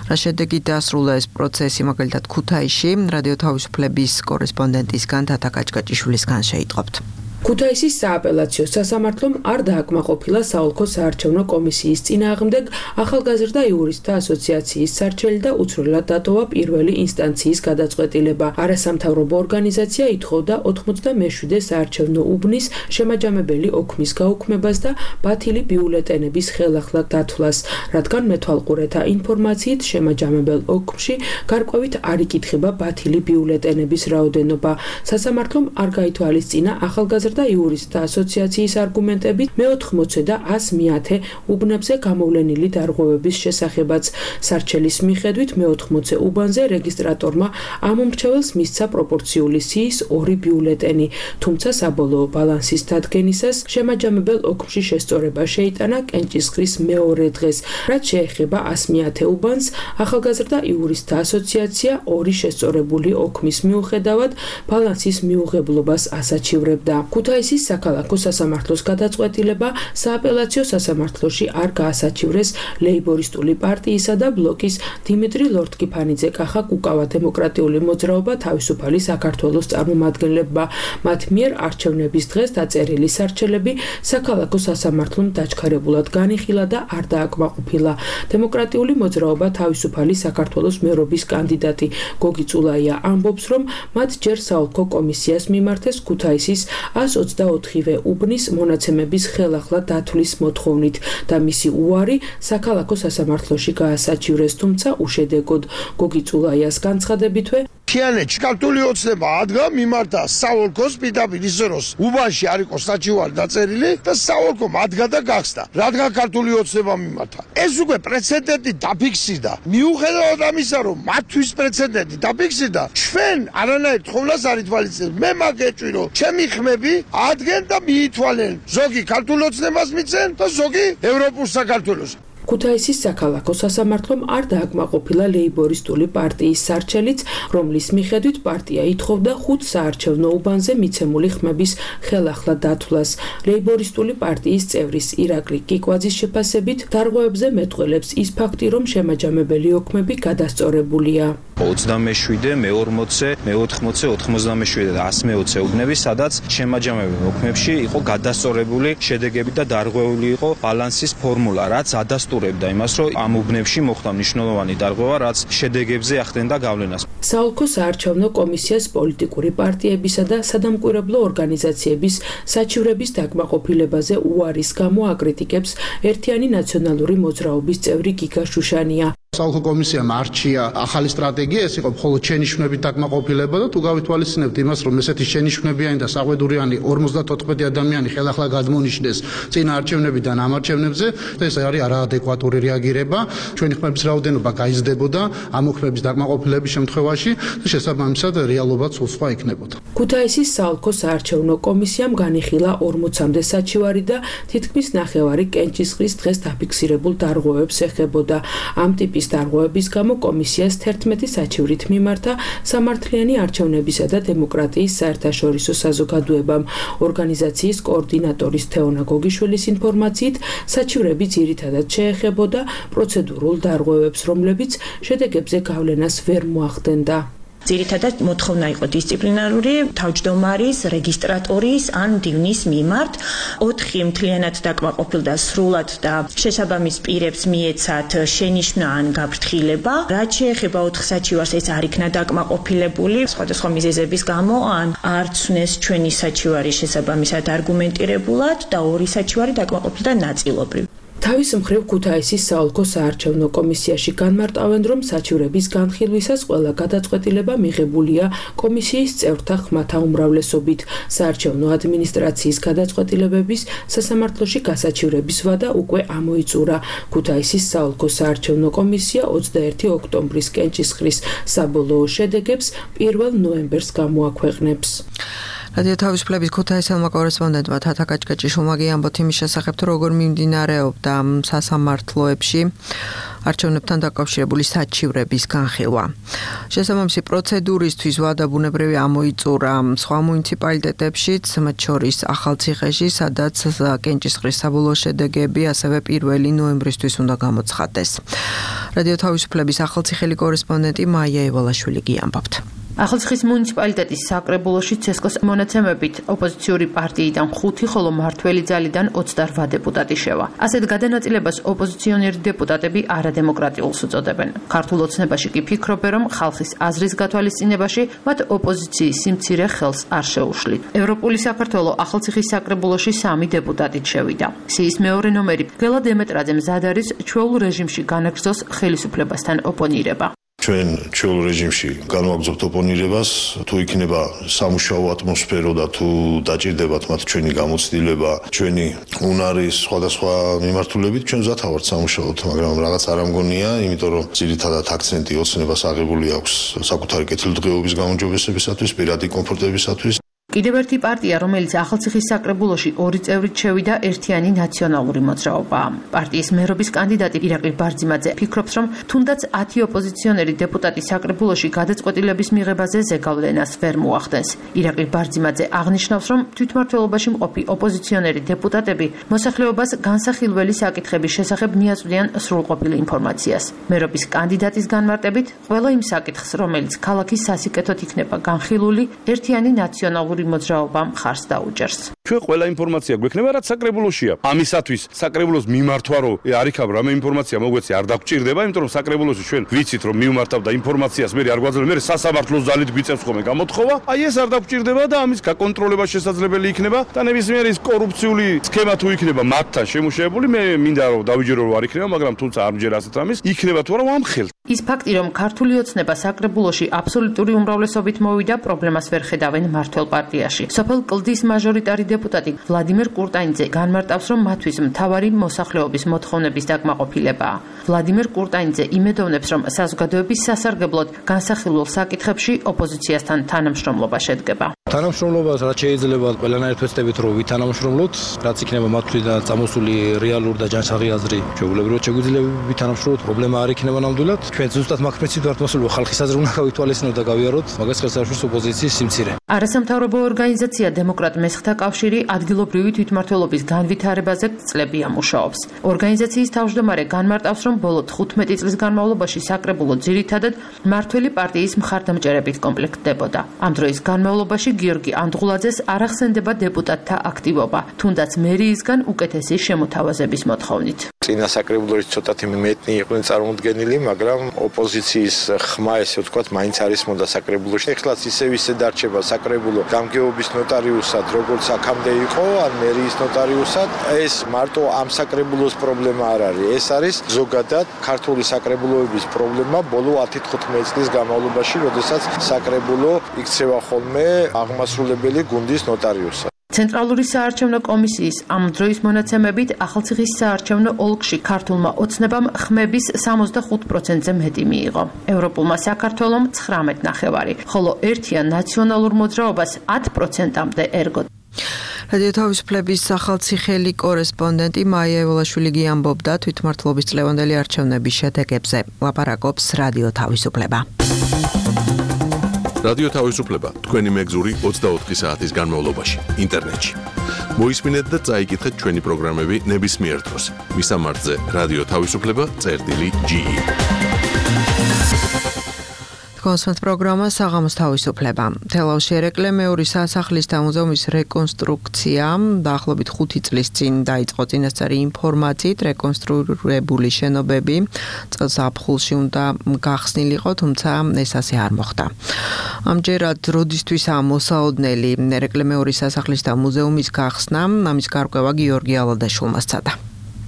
რა შედეგით დასრულდა ეს პროცესი, მაგალითად ქუთაისში, რადიო თავისუფლების კორესპონდენტისგან თათა კაჭკაჭიშვილისგან შეიტყობთ. ქუთაისის სააპელაციო სასამართლომ არ დააკმაყოფილა საოლქო საარჩევნო კომისიის წინააღმდეგ ახალგაზრდა იურისტთა ასოციაციის სარჩელი და უცვლელად დატოვა პირველი ინსტანციის გადაწყვეტილება. არასამთავრობო ორგანიზაცია ითხოვდა ოთხმოცდამეშვიდე საარჩევნო უბნის შემაჯამებელი ოქმის გაუქმებას და ბათილი ბიულეტენების ხელახლა დათვლას, რადგან მეთვალყურეთა ინფორმაციით შემაჯამებელ ოქმში გარკვევით არ იკითხება ბათილი ბიულეტენების რაოდენობა. სასამართლომ არ გაითვალისწინა ახალგაზრდა და იურისტთა ასოციაციის არგუმენტებით მეოთხმოცე და ას მეათე უბნებზე გამოვლენილი დარღვევების შესახებაც. სარჩელის მიხედვით მეოთხმოცე უბანზე რეგისტრატორმა ამომრჩეველს მისცა პროპორციული სიის ორი ბიულეტენი, თუმცა საბოლოო ბალანსის დადგენისას შემაჯამებელ ოქმში შესწორება შეიტანა კენჭისყრის მეორე დღეს. რაც შეეხება ას მეათე უბანს, ახალგაზრდა იურისტთა ასოციაცია ორი შესწორებული ოქმის მიუხედავად ბალანსის მიუღებლობას ასაჩივრებდა. ქუთაისის საქალაქო სასამართლოს გადაწყვეტილება სააპელაციო სასამართლოში არ გაასაჩივრეს ლეიბორისტული პარტიისა და ბლოკის დიმიტრი ლორთქიფანიძე კახა კუკავა დემოკრატიული მოძრაობა თავისუფალი საქართველოს წარმომადგენლებმა. მათ მიერ არჩევნების დღეს დაწერილი სარჩელები საქალაქო სასამართლომ დაჩქარებულად განიხილა და არ დააკმაყოფილა. დემოკრატიული მოძრაობა თავისუფალი საქართველოს მერობის კანდიდატი გოგი წულაია ამბობს, რომ მათ ჯერ საოლქო კომისიას მიმართეს ქუთაისის ას ოცდაოთხივე უბნის მონაცემების ხელახლა დათვლის მოთხოვნით და მისი უარი საქალაქო სასამართლოში გაასაჩივრეს, თუმცა უშედეგოდ. გოგი წულაიას განცხადებითვე მთიანეთში ქართული ოცნება ადგა მიმართა საოლქოს პირდაპირ ისე რომ უბანში არ იყოს საჩივარი დაწერილი და საოლქომ ადგა და გახსნა, რადგან ქართული ოცნება მიმართა. ეს უკვე პრეცედენტი დაფიქსირდა. მიუხედავად ამისა, რომ მათთვის პრეცედენტი დაფიქსირდა, ჩვენ არანაირ თხოვნას არ ითვალისწინებთ. მე მაგეჭვი რომ ჩემი ხმები ადგენენ და მიითვალენ. ზოგი ქართულ ოცნებას მიცენ და ზოგი ევროპულ საქართველოს. ქუთაისის საქალაქო სასამართლომ არ დააკმაყოფილა ლეიბორისტული პარტიის სარჩელიც, რომლის მიხედვით პარტია ითხოვდა ხუთ საარჩევნო უბანზე მიცემული ხმების ხელახლა დათვლას. ლეიბორისტული პარტიის წევრის ირაკლი კიკვაძის შეფასებით დარღვევებზე მეტყველებს ის ფაქტი, რომ შემაჯამებელი ოქმები გადასწორებულია. ოცდამეშვიდე, მეორმოცე, მეოთხმოცე, ოთხმოცდამეშვიდე და ას მეოცე უბნები, სადაც შემაჯამებელ ოქმებში იყო გადასწორებული შედეგები და დარღვეული იყო ბალანსის ფორმულა, რაც ადასტურებდა იმას, რომ ამ უბნებში მოხდა მნიშვნელოვანი დარღვევა, რაც შედეგებზე ახდენდა გავლენას. საოლქო საარჩევნო კომისიას პოლიტიკური პარტიებისა და სადამკვირვებლო ორგანიზაციების საჩივრების დაკმაყოფილებაზე უარის გამო აკრიტიკებს ერთიანი ნაციონალური მოძრაობის წევრი გიგა შუშანია. საოლქო კომისიამ არჩია ახალი სტრატეგია, ეს იყო მხოლოდ შენიშვნებით დაკმაყოფილება და თუ გავითვალისწინებთ იმას, რომ ესეთი შენიშვნებიანი და საყვედურიანი ორმოცდათოთხმეტი ადამიანი ხელახლა გადმონიშნეს წინა არჩევნებიდან ამ არჩევნებზე, ეს არის არაადეკვატური რეაგირება. ჩვენი ხმების რაოდენობა გაიზრდებოდა ამ ხმების დაკმაყოფილების შემთხვევაში და შესაბამისად რეალობაც უცხო იქნებოდა. ქუთაისის საოლქო საარჩევნო კომისიამ განიხილა ორმოცამდე საჩივარი და თითქმის ნახევარი კენჭისყრის დღეს დაფიქსირებულ დარღვევებს ეხებოდა. ამ ტიპის დარღვევების გამო კომისიას თერთმეტი საჩივრით მიმართა სამართლიანი არჩევნებისა და დემოკრატიის საერთაშორისო საზოგადოებამ. ორგანიზაციის კოორდინატორის თეონა გოგიშვილის ინფორმაციით, საჩივრები ძირითადად შეეხებოდა პროცედურულ დარღვევებს, რომლებიც შედეგებზე გავლენას ვერ მოახდენდა. ძირითადად მოთხოვნა იყო დისციპლინარული თავმჯდომარის, რეგისტრატორის ან მდივნის მიმართ. ოთხი მთლიანად დაკმაყოფილდა სრულად და შესაბამის პირებს მიეცათ შენიშვნა ან გაფრთხილება. რაც შეეხება ოთხ საჩივარს, ეს არ იქნა დაკმაყოფილებული სხვადასხვა მიზეზების გამო, ან არ ცნეს ჩვენი საჩივარი შესაბამისად არგუმენტირებულად და ორი საჩივარი დაკმაყოფილდა ნაწილობრივ. თავის მხრივ ქუთაისის საოლქო საარჩევნო კომისიაში განმარტავენ, რომ საჩივრების განხილვისას ყველა გადაწყვეტილება მიღებულია კომისიის წევრთა ხმათა უმრავლესობით. საარჩევნო ადმინისტრაციის გადაწყვეტილებების სასამართლოში გასაჩივრების ვადა უკვე ამოიწურა. ქუთაისის საოლქო საარჩევნო კომისია ოცდაერთი ოქტომბრის კენჭისყრის საბოლოო შედეგებს პირველ ნოემბერს გამოაქვეყნებს. რადიო თავისუფლების ქუთაისელმა კორესპონდენტმა თათა კაჭკაჭიშვილმა ამბოთ იმის შესახებ, თუ როგორ მიმდინარეობდა სასამართლოებში არჩევნებთან დაკავშირებული საჩივრების განხილვა. შესაბამისი პროცედურისთვის ვადა ბუნებრივი ამოიწურა სხვა მუნიციპალიტეტებშიც, მათ შორის ახალციხეში, სადაც კენჭისყრის საბოლოო შედეგები ასევე პირველი ნოემბრისთვის უნდა გამოცხადდეს. რადიო თავისუფლების ახალციხელი კორესპონდენტი მაია ევალაშვილი გიამბობთ. ახალციხის მუნიციპალიტეტის საკრებულოში ცესკოს მონაცემებით ოპოზიციური პარტიიდან ხუთი, ხოლო მართველი ძალიდან ოცდაოთხ დეპუტატი შევა. ასეთ გადანაწილებას ოპოზიციონერი დეპუტატები არადემოკრატიულს უწოდებენ. ქართულ ოცნებაში კი ფიქრობენ, რომ ხალხის აზრის გათვალისწინებაში მათ ოპოზიციის სიმცირე ხელს არ შეუშლით. ევროპული საქართველო ახალციხის საკრებულოში სამი დეპუტატით შევიდა. სიის მეორე ნომერი გელა დემეტრაძე მზად არის ჩვეულ რეჟიმში განაგრძოს ხელისუფლებასთან ოპონირება. ჩვენ ჩვეულ რეჟიმში განვაგრძობთ ოპონირებას, თუ იქნება სამუშაო ატმოსფერო და თუ დაჭირდებათ მათ ჩვენი გამოცდილება, ჩვენი უნარის სხვადასხვა მიმართულებით, ჩვენ მზად ვართ სამუშაოთ, მაგრამ რაღაც არ ამგონია, იმიტომ რომ ძირითადად აქცენტი ოცნებას აღებული აქვს საკუთარი კეთილდღეობის გაუმჯობესებისათვის, პირადი კომფორტებისათვის. კიდევ ერთი პარტია, რომელიც ახალციხის საკრებულოში ორი წევრით შევიდა, ერთიანი ნაციონალური მოძრაობაა. პარტიის მერობის კანდიდატი ირაკლი ბარძიმაძე ფიქრობს, რომ თუნდაც ათი ოპოზიციონერი დეპუტატი საკრებულოში გადაწყვეტილების მიღებაზე ზეგავლენას ვერ მოახდენს. ირაკლი ბარძიმაძე აღნიშნავს, რომ თვითმმართველობაში მყოფი ოპოზიციონერი დეპუტატები მოსახლეობას განსახილველი საკითხების შესახებ მიაწვდიან სრულყოფილ ინფორმაციას. მერობის კანდიდატის განმარტებით, ყველა იმ საკითხს, რომელიც ქალაქის სასიკეთოდ იქნება განხილული, ერთიანი ნაციონალური მოძრაობა მხარს დაუჭერს. ჩვენ ყველა ინფორმაცია გვექნება, რაც საკრებულოშია. ამისათვის საკრებულოს მიმართვა რო არ იქნება რამე ინფორმაცია მოგვეცი არ დაგჭირდება, იმიტომ რომ საკრებულოში ჩვენ ვიცით რომ მიმართავდა ინფორმაციას, მე არ გვაძლევს, მე სასამართლოს ძალით გვიწევს ხოლმე გამოთხოვა. აი ეს არ დაგჭირდება და ამის გაკონტროლება შესაძლებელი იქნება და ნებისმიერი ის კორუფციული სქემა თუ იქნება მათთან შემუშავებული, მე მინდა რომ დავიჯერო რომ არ იქნება, მაგრამ თუმცა არ მჯერ ასეთ ამის, იქნება თუ არა ამხელ. ის ფაქტი, რომ ქართული ოცნება საკრებულოში აბსოლუტური უმრავლესობით მოვიდა, პრობლემას ვერ ხედავენ მართლ პარტიაში. სოფელ კლდის მაჟორიტარი დეპუტატი ვლადიმერ კურტანიძე განმარტავს, რომ მათთვის მთავარი მოსახლეობის მოთხოვნების დაკმაყოფილებაა. ვლადიმერ კურტანიძე იმედოვნებს, რომ საზოგადოების სასარგებლოდ განსახილულ საკითხებში ოპოზიციასთან თანამშრომლობა შედგება. თანამშრომლობას რაც შეიძლება ყველანაირ თვესდებით რომ ვითანამშრომლოთ, რაც იქნება მათთვიდან წამოსული რეალური და ჯანსაღი აზრი, შეუგლებრად შეგვიძლია ვითანამშრომლოთ, პრობლემა არ იქნება ნამდვილად. ჩვენ ზუსტად მაგ პრინციპით ვართ მოსულები, ხალხის აზრი უნდა გავითვალისწინოთ და გავიაროთ, მაგას ხელსაყრელს ოპოზიციის სიმცირე. არასამთავრობო ორგანიზაცია დემოკრატ მესხთა კავშირი ადგილობრივი თვითმმართველობის განვითარებაზე წლებია მუშაობს. ორგანიზაციის თავმჯდომარე განმარტავს, რომ ბოლო თხუთმეტი წლის განმავლობაში საკრებულო ძირითადად მართველი პარტიის მხარდამჭერებით კომპლექტდებოდა. ამ დროის განმავლობაში გიორგი ანდღულაძეს არ ახსენდება დეპუტატთა აქტივობა, თუნდაც მერიისგან უკეთესი შემოთავაზების მოთხოვნით. წინა საკრებულოში ცოტათი მეტნი იყვნენ წარმოდგენილი, მაგრამ ოპოზიციის ხმა, ესე ვთქვათ, მაინც არის მონდა საკრებულოში. ეხლაც ისევ ისე დარჩება საკრებულო გამგეობის ნოტარიუსად, როგორც აქამდე იყო, ან მერიის ნოტარიუსად. ეს მარტო ამ საკრებულოს პრობლემა არ არის. ეს არის ზოგადად ქართული საკრებულოების პრობლემა ბოლო ათი-თხუთმეტი წლის განმავლობაში, როდესაც საკრებულო იქცევა ხოლმე აღმასრულებელი გუნდის ნოტარიუსად. ცენტრალური საარჩევნო კომისიის ამ დროის მონაცემებით ახალციხის საარჩევნო ოლქში ქართულმა ოცნებამ ხმების სამოცდახუთ პროცენტზე მეტი მიიღო. ევროპულმა საქართველომ ცხრამეტ ნახევარი, ხოლო ერთიან ნაციონალურ მოძრაობას ათი პროცენტამდე ერგო. რადიო თავისუფლების ახალციხელი კორესპონდენტი მაია ევლაშვილი ამბობდა თვითმმართველობის წლევანდელი არჩევნების შედეგებზე. ლაპარაკობს რადიო თავისუფლება. რადიო თავისუფლება თქვენი მეგზური ოცდაოთხი საათის განმავლობაში ინტერნეტში. მოისმინეთ და წაიკითხეთ ჩვენი პროგრამები ნებისმიერ დროს. მისამართზე რადიო თავისუფლება წერტილი ჯი ი. კონსერტ პროგრამა საღამოს თავისუფლება. თელავში ერეკლე მეორე სასახლის და მუზეუმის რეკონსტრუქცია დაახლოებით ხუთი წლის წინ დაიწყო წინასწარი ინფორმაციით რეკონსტრუირებული შენობები წელს აფხულში უნდა გახსნილიყო, თუმცა ეს ასე არ მოხდა. ამჯერად როდისთვის ამოსაოდნელი ერეკლე მეორე სასახლის და მუზეუმის გახსნა, ამის გარკვევა გიორგი ალადაშვილმა სცადა.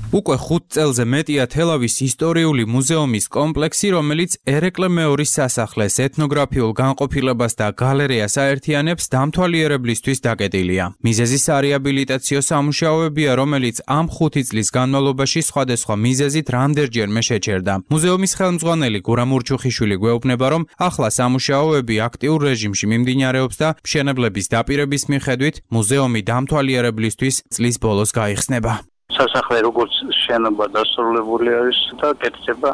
უკვე ხუთ წელზე მეტია თელავის ისტორიული მუზეუმის კომპლექსი, რომელიც ერეკლე მეორის სასახლეს, ეთნოგრაფიულ განყოფილებას და გალერეას აერთიანებს, დამთვალიერებლისთვის დაკეტილია. მიზეზი სარეაბილიტაციო სამუშაოებია, რომელიც ამ ხუთი წლის განმავლობაში სხვადასხვა მიზეზით რამდენჯერმე შეჩერდა. მუზეუმის ხელმძღვანელი გურამ ურჩუხიშვილი გვეუბნება, რომ ახლა სამუშაოები აქტიურ რეჟიმში მიმდინარეობს და მშენებლების დაპირების მიხედვით მუზეუმი დამთვალიერებლისთვის წლის ბოლოს გაიხსნება. სასახლე როგორც შენობა დასრულებული არის და კეთდება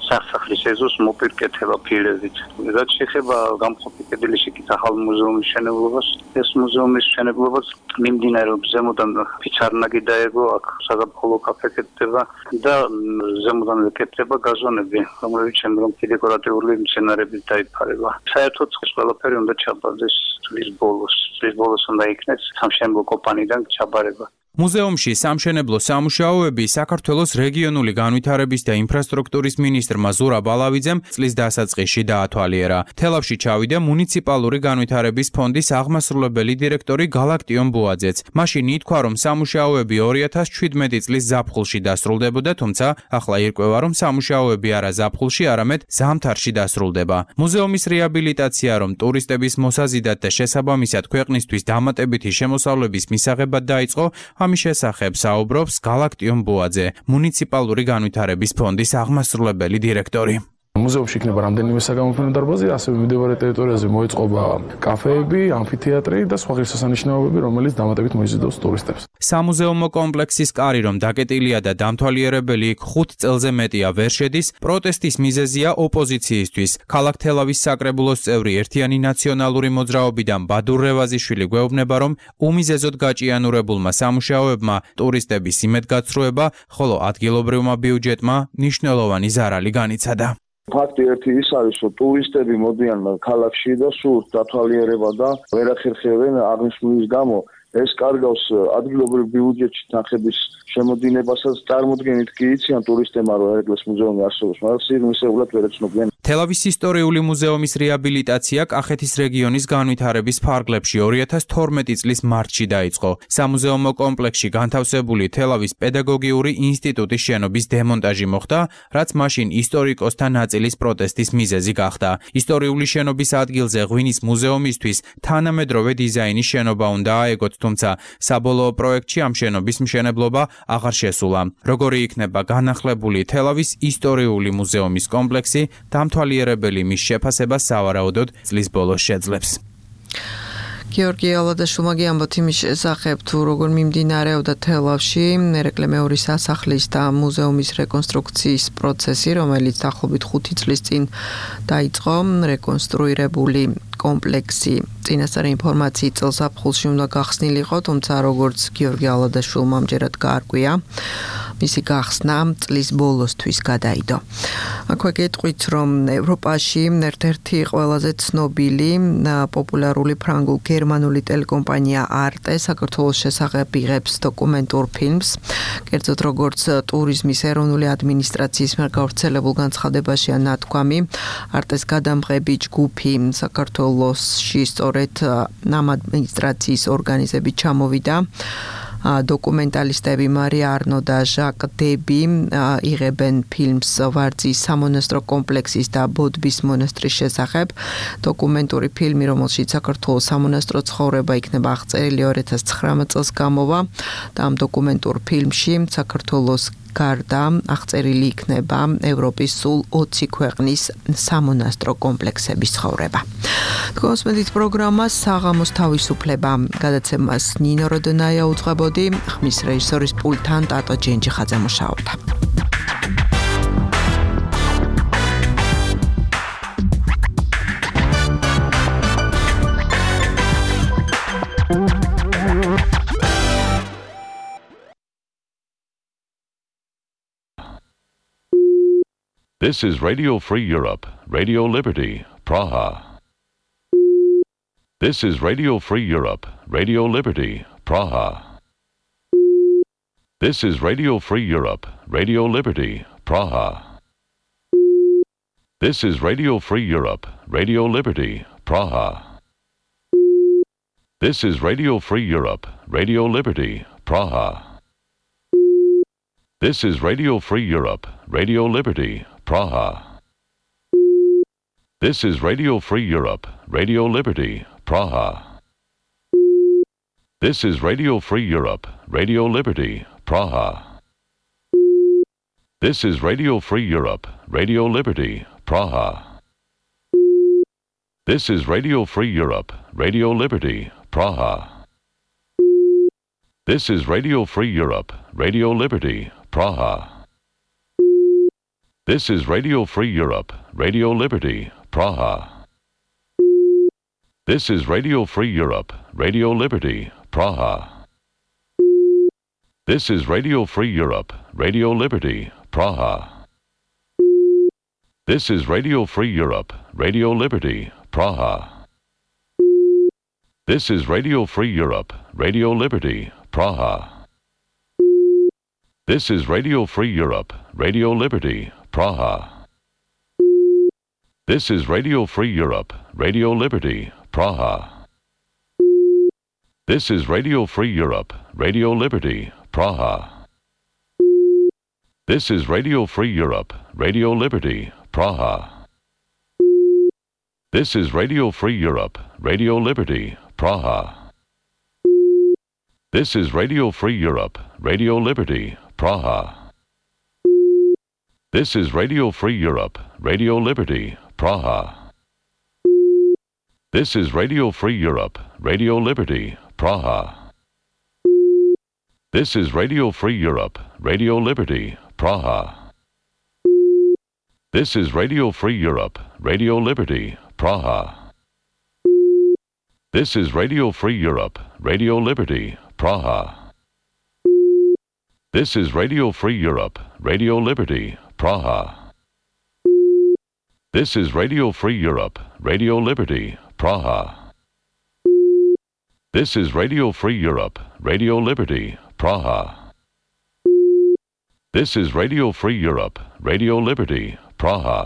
სასახლის ეზოს მოპირკეთება ფილებით. რაც შეეხება გამყოფი კედლის ახალ მუზეუმის მშენებლობას, ეს მუზეუმის მშენებლობას მიმდინარეობს ზემოდან ფიცარნაგი დაეგო, აქ საზაფხულო კაფე კეთდება და ზემოდან კეთდება გაზონები, რომელიც შემდგომ დეკორატიული მცენარებით დაიფარება. საერთოდ ყველაფერი უნდა ჩაბარდეს წლის ბოლოს. წლის ბოლოს უნდა იქნეს სამშენებლო კომპანიიდან ჩაბარება. მუზეუმში სამშენებლო სამუშაოები საქართველოს რეგიონული განვითარების და ინფრასტრუქტურის მინისტრმა ზურაბ ალავიძემ წლის დასაწყისში დაათვალიერა. თელავში ჩავიდა მუნიციპალური განვითარების ფონდის აღმასრულებელი დირექტორი გალაქტიონ ბუაძეც. მაშინ ითქვა, რომ სამუშაოები ორი ათას შვიდმეტი წლის ზაფხულში დასრულდებოდა, თუმცა ახლა ირკვევა, რომ სამუშაოები არა ზაფხულში, არამედ ზამთარში დასრულდება. მუზეუმის რეაბილიტაცია, რომ ტურისტების მოსაზიდად და შესაბამისად ქვეყნისთვის დამატებითი შემოსავლების მისაღებად დაიწყო, ამის შესახებ საუბრობს გალაქტიონ ბუაძე, მუნიციპალური განვითარების ფონდის აღმასრულებელი დირექტორი. მუზეუმში იქნება რამდენიმე საგამოფენო დარბაზი, ასევე მიმდებარე ტერიტორიაზე მოეწყობა კაფეები, ამფითეატრი და სხვა ღირსშესანიშნაობები, რომელიც დამატებით მოიზიდავს ტურისტებს. სამუზეუმო კომპლექსის კარი, რომ დაკეტილია და დამთვალიერებელი იქ ხუთ წელზე მეტია ვერ შედის, პროტესტის მიზეზია ოპოზიციისთვის. ქალაქ თელავის საკრებულოს წევრი ერთიანი ნაციონალური მოძრაობიდან ბადურ რევაზიშვილი გვეუბნება, რომ უმიზეზოდ გაჭიანურებულმა სამუშაოებმა ტურისტების იმედგაცრუება, ხოლო ადგილობრივმა ბიუჯეტმა მნიშვნელოვანი ზარალი განიცადა. ფაქტი ერთი ის არის, რომ ტურისტები მოდიან ქალაქში და სურთ დათვალიერება და ვერ ახერხებენ აღნიშნულის გამო ეს კარგავს ადგილობრივ ბიუჯეტში თანხების შემოდინებასაც წარმოდგენით კი იციან ტურისტებმა, რომ ერეკლეს მუზეუმი არსებობს, მაგრამ სიღრმისეულად ვერ ეცნობიან. თელავის ისტორიული მუზეუმის რეაბილიტაცია კახეთის რეგიონის განვითარების ფარგლებში ორი ათას თორმეტი წლის მარტში დაიწყო. სამუზეუმო კომპლექსში განთავსებული თელავის პედაგოგიური ინსტიტუტის შენობის დემონტაჟი მოხდა, რაც მაშინ ისტორიკოსთა ნაწილის პროტესტის მიზეზი გახდა. ისტორიული შენობის ადგილზე ღვინის მუზეუმისთვის თანამედროვე დიზაინის შენობა უნდა აეგოთ, თუმცა საბოლოო პროექტში ამ შენობის მშენებლობა აღარ შესულა. როგორი იქნება განახლებული თელავის ისტორიული მუზეუმის კომპლექსი, დამთვალიერებელი მის შეფასებას სავარაუდოდ წლის ბოლოს შეძლებს. გიორგი ალადაშვილმა ამბობთ იმის შესახებ, თუ როგორ მიმდინარეობდა თელავში ერეკლე მეორე სასახლის და მუზეუმის რეკონსტრუქციის პროცესი, რომელიც დაახლოებით ხუთი წლის წინ დაიწყო. რეკონსტრუირებული კომპლექსი წინასწარი ინფორმაციით წელს აფხულში უნდა გახსნილიყო, თუმცა როგორც გიორგი ალადაშვილმა ამჯერად გაარკვია, მისი გახსნა წლის ბოლოსთვის გადაიდო. აქვე გეტყვით, რომ ევროპაში ერთ-ერთი ყველაზე ცნობილი პოპულარული ფრანგულ-გერმანული ტელეკომპანია არტე საქართველოს შესახებ იღებს დოკუმენტურ ფილმს. კერძოდ როგორც ტურიზმის ეროვნული ადმინისტრაციის მიერ გავრცელებულ განცხადებაშია ნათქვამი, არტეს გადამღები ჯგუფი საქართველოსში სწორედ ამ ადმინისტრაციის ორგანიზებით ჩამოვიდა. დოკუმენტალისტები მარია არნო და ჟაკ დები იღებენ ფილმს ვარძის სამონასტრო კომპლექსის და ბოდბის მონასტრის შესახებ. დოკუმენტური ფილმი, რომელშიც საქართველოს სამონასტრო ცხოვრება იქნება აღწერილი ორი ათას ცხრამეტ წელს გამოვა და ამ დოკუმენტურ ფილმში საქართველოს გარდა აღწერილი იქნება ევროპის სულ ოცი ქვეყნის სამონასტრო კომპლექსების ცხოვრება. თქვენს პროგრამას საღამოს თავისუფლება გადაცემას ნინო როდონაია უძღვებოდი, ხმის რეჟისორის პულტთან ტატო ჯენჯიხაძე მუშაობდა. This is Radio Free Europe, Radio Liberty, Praha. This is Radio Free Europe, Radio Liberty, Praha. This is Radio Free Europe, Radio Liberty, Praha. This is Radio Free Europe, Radio Liberty, Praha. This is Radio Free Europe, Radio Liberty, Praha. This is Radio Free Europe, Radio Liberty, Praha. This is Radio Free Europe, Radio Liberty, Praha. This is Radio Free Europe, Radio Liberty, Praha. This is Radio Free Europe, Radio Liberty, Praha. This is Radio Free Europe, Radio Liberty, Praha. This is Radio Free Europe, Radio Liberty, Praha. This is Radio Free Europe, Radio Liberty, Praha. This is Radio Free Europe, Radio Liberty, Praha. This is Radio Free Europe, Radio Liberty, Praha. This is Radio Free Europe, Radio Liberty, Praha. This is Radio Free Europe, Radio Liberty, Praha. This is Radio Free Europe, Radio Liberty, Praha. This is Radio Free Europe, Radio Liberty, Praha. This is Radio Free Europe, Radio Liberty, Praha. This is Radio Free Europe, Radio Liberty, Praha. This is Radio Free Europe, Radio Liberty, Praha. This is Radio Free Europe, Radio Liberty, Praha. This is Radio Free Europe, Radio Liberty, Praha. This is Radio Free Europe, Radio Liberty, Praha. This is Radio Free Europe, Radio Liberty, Praha. This is Radio Free Europe, Radio Liberty, Praha. This is Radio Free Europe, Radio Liberty, Praha. This is Radio Free Europe, Radio Liberty, Praha. This is Radio Free Europe, Radio Liberty, Praha. This is Radio Free Europe, Radio Liberty, Praha. This is Radio Free Europe, Radio Liberty, Praha.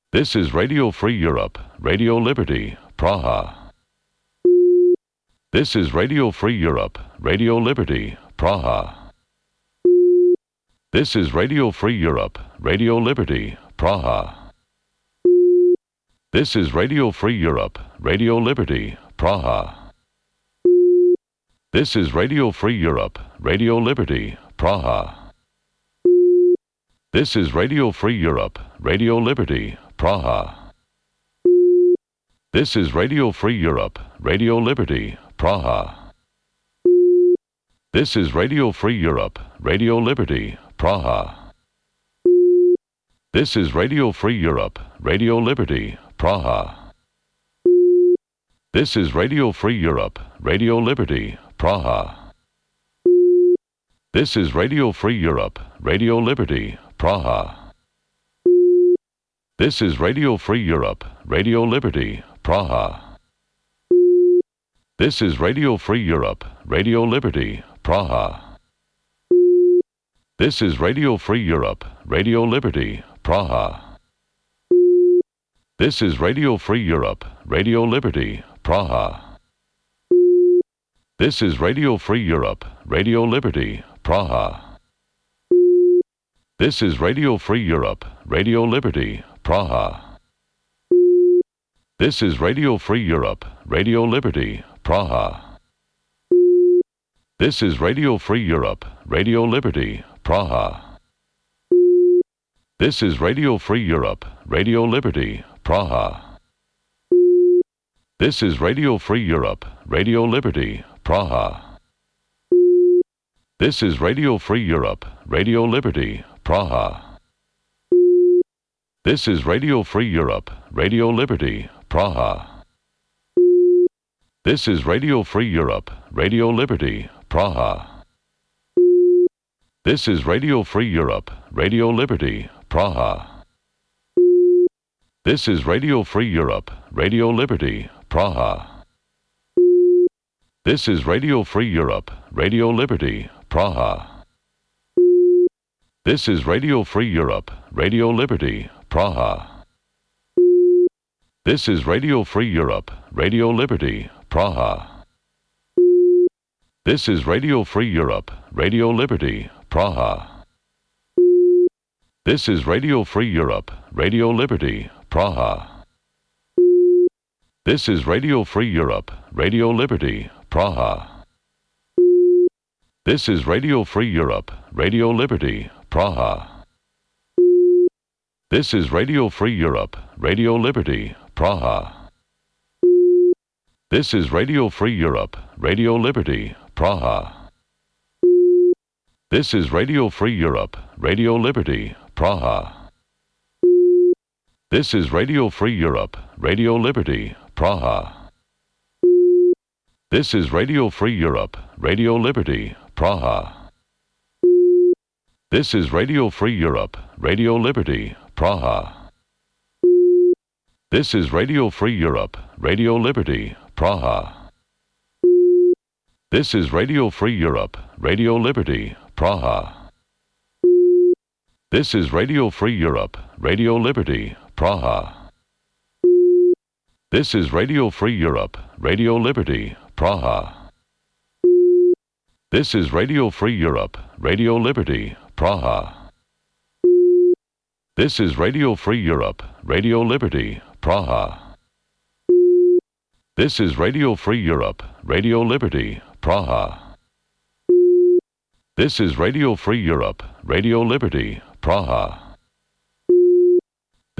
This is Radio Free Europe, Radio Liberty, Praha. This is Radio Free Europe, Radio Liberty, Praha. This is Radio Free Europe, Radio Liberty, Praha. This is Radio Free Europe, Radio Liberty, Praha. This is Radio Free Europe, Radio Liberty, Praha. This is Radio Free Europe, Radio Liberty, Praha. This is Radio Free Europe, Radio Liberty, Praha. This is Radio Free Europe, Radio Liberty, Praha. This is Radio Free Europe, Radio Liberty, Praha. This is Radio Free Europe, Radio Liberty, Praha. This is Radio Free Europe, Radio Liberty, Praha. This is Radio Free Europe, Radio Liberty, Praha. This is Radio Free Europe, Radio Liberty, Praha. This is Radio Free Europe, Radio Liberty, Praha. This is Radio Free Europe, Radio Liberty, Praha. This is Radio Free Europe, Radio Liberty, Praha. This is Radio Free Europe, Radio Liberty, Praha. This is Radio Free Europe, Radio Liberty, Praha. This is Radio Free Europe, Radio Liberty, Praha. This is Radio Free Europe, Radio Liberty, Praha. This is Radio Free Europe, Radio Liberty, Praha. This is Radio Free Europe, Radio Liberty, Praha. This is Radio Free Europe, Radio Liberty, Praha. This is Radio Free Europe, Radio Liberty, Praha. This is Radio Free Europe, Radio Liberty, Praha. This is Radio Free Europe, Radio Liberty, Praha. This is Radio Free Europe, Radio Liberty, Praha. This is Radio Free Europe, Radio Liberty, Praha. This is Radio Free Europe, Radio Liberty, Praha. This is Radio Free Europe, Radio Liberty, Praha. This is Radio Free Europe, Radio Liberty, Praha. This is Radio Free Europe, Radio Liberty, Praha. This is Radio Free Europe, Radio Liberty, Praha. This is Radio Free Europe, Radio Liberty, Praha. This is Radio Free Europe, Radio Liberty, Praha. This is Radio Free Europe, Radio Liberty, Praha. This is Radio Free Europe, Radio Liberty, Praha. This is Radio Free Europe, Radio Liberty, Praha. This is Radio Free Europe, Radio Liberty, Praha. This is Radio Free Europe, Radio Liberty, Praha. This is Radio Free Europe, Radio Liberty, Praha. This is Radio Free Europe, Radio Liberty, Praha. This is Radio Free Europe, Radio Liberty, Praha. This is Radio Free Europe, Radio Liberty, Praha. This is Radio Free Europe, Radio Liberty, Praha. This is Radio Free Europe, Radio Liberty, Praha. This is Radio Free Europe, Radio Liberty, Praha.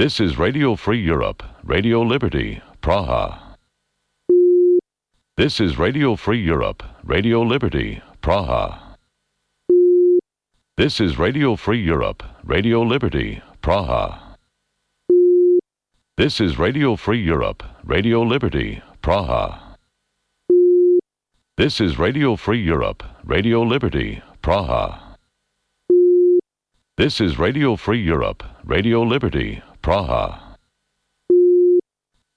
This is Radio Free Europe, Radio Liberty, Praha. This is Radio Free Europe, Radio Liberty, Praha. This is Radio Free Europe, Radio Liberty, Praha. This is Radio Free Europe, Radio Liberty, Praha. This is Radio Free Europe, Radio Liberty, Praha. This is Radio Free Europe, Radio Liberty, Praha.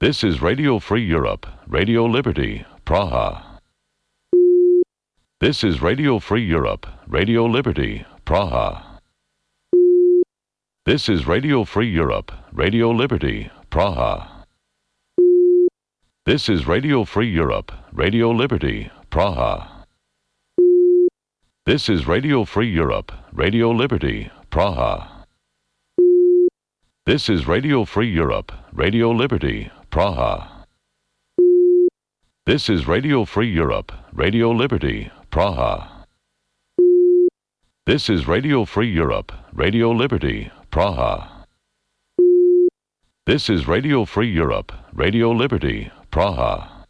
This is Radio Free Europe, Radio Liberty, Praha. This is Radio Free Europe, Radio Liberty, Praha. This is Radio Free Europe, Radio Liberty, Praha. This is Radio Free Europe, Radio Liberty, Praha. This is Radio Free Europe, Radio Liberty, Praha. This is Radio Free Europe, Radio Liberty, Praha. This is Radio Free Europe, Radio Liberty, Praha. This is Radio Free Europe, Radio Liberty, Praha. This is Radio Free Europe, Radio Liberty, Praha.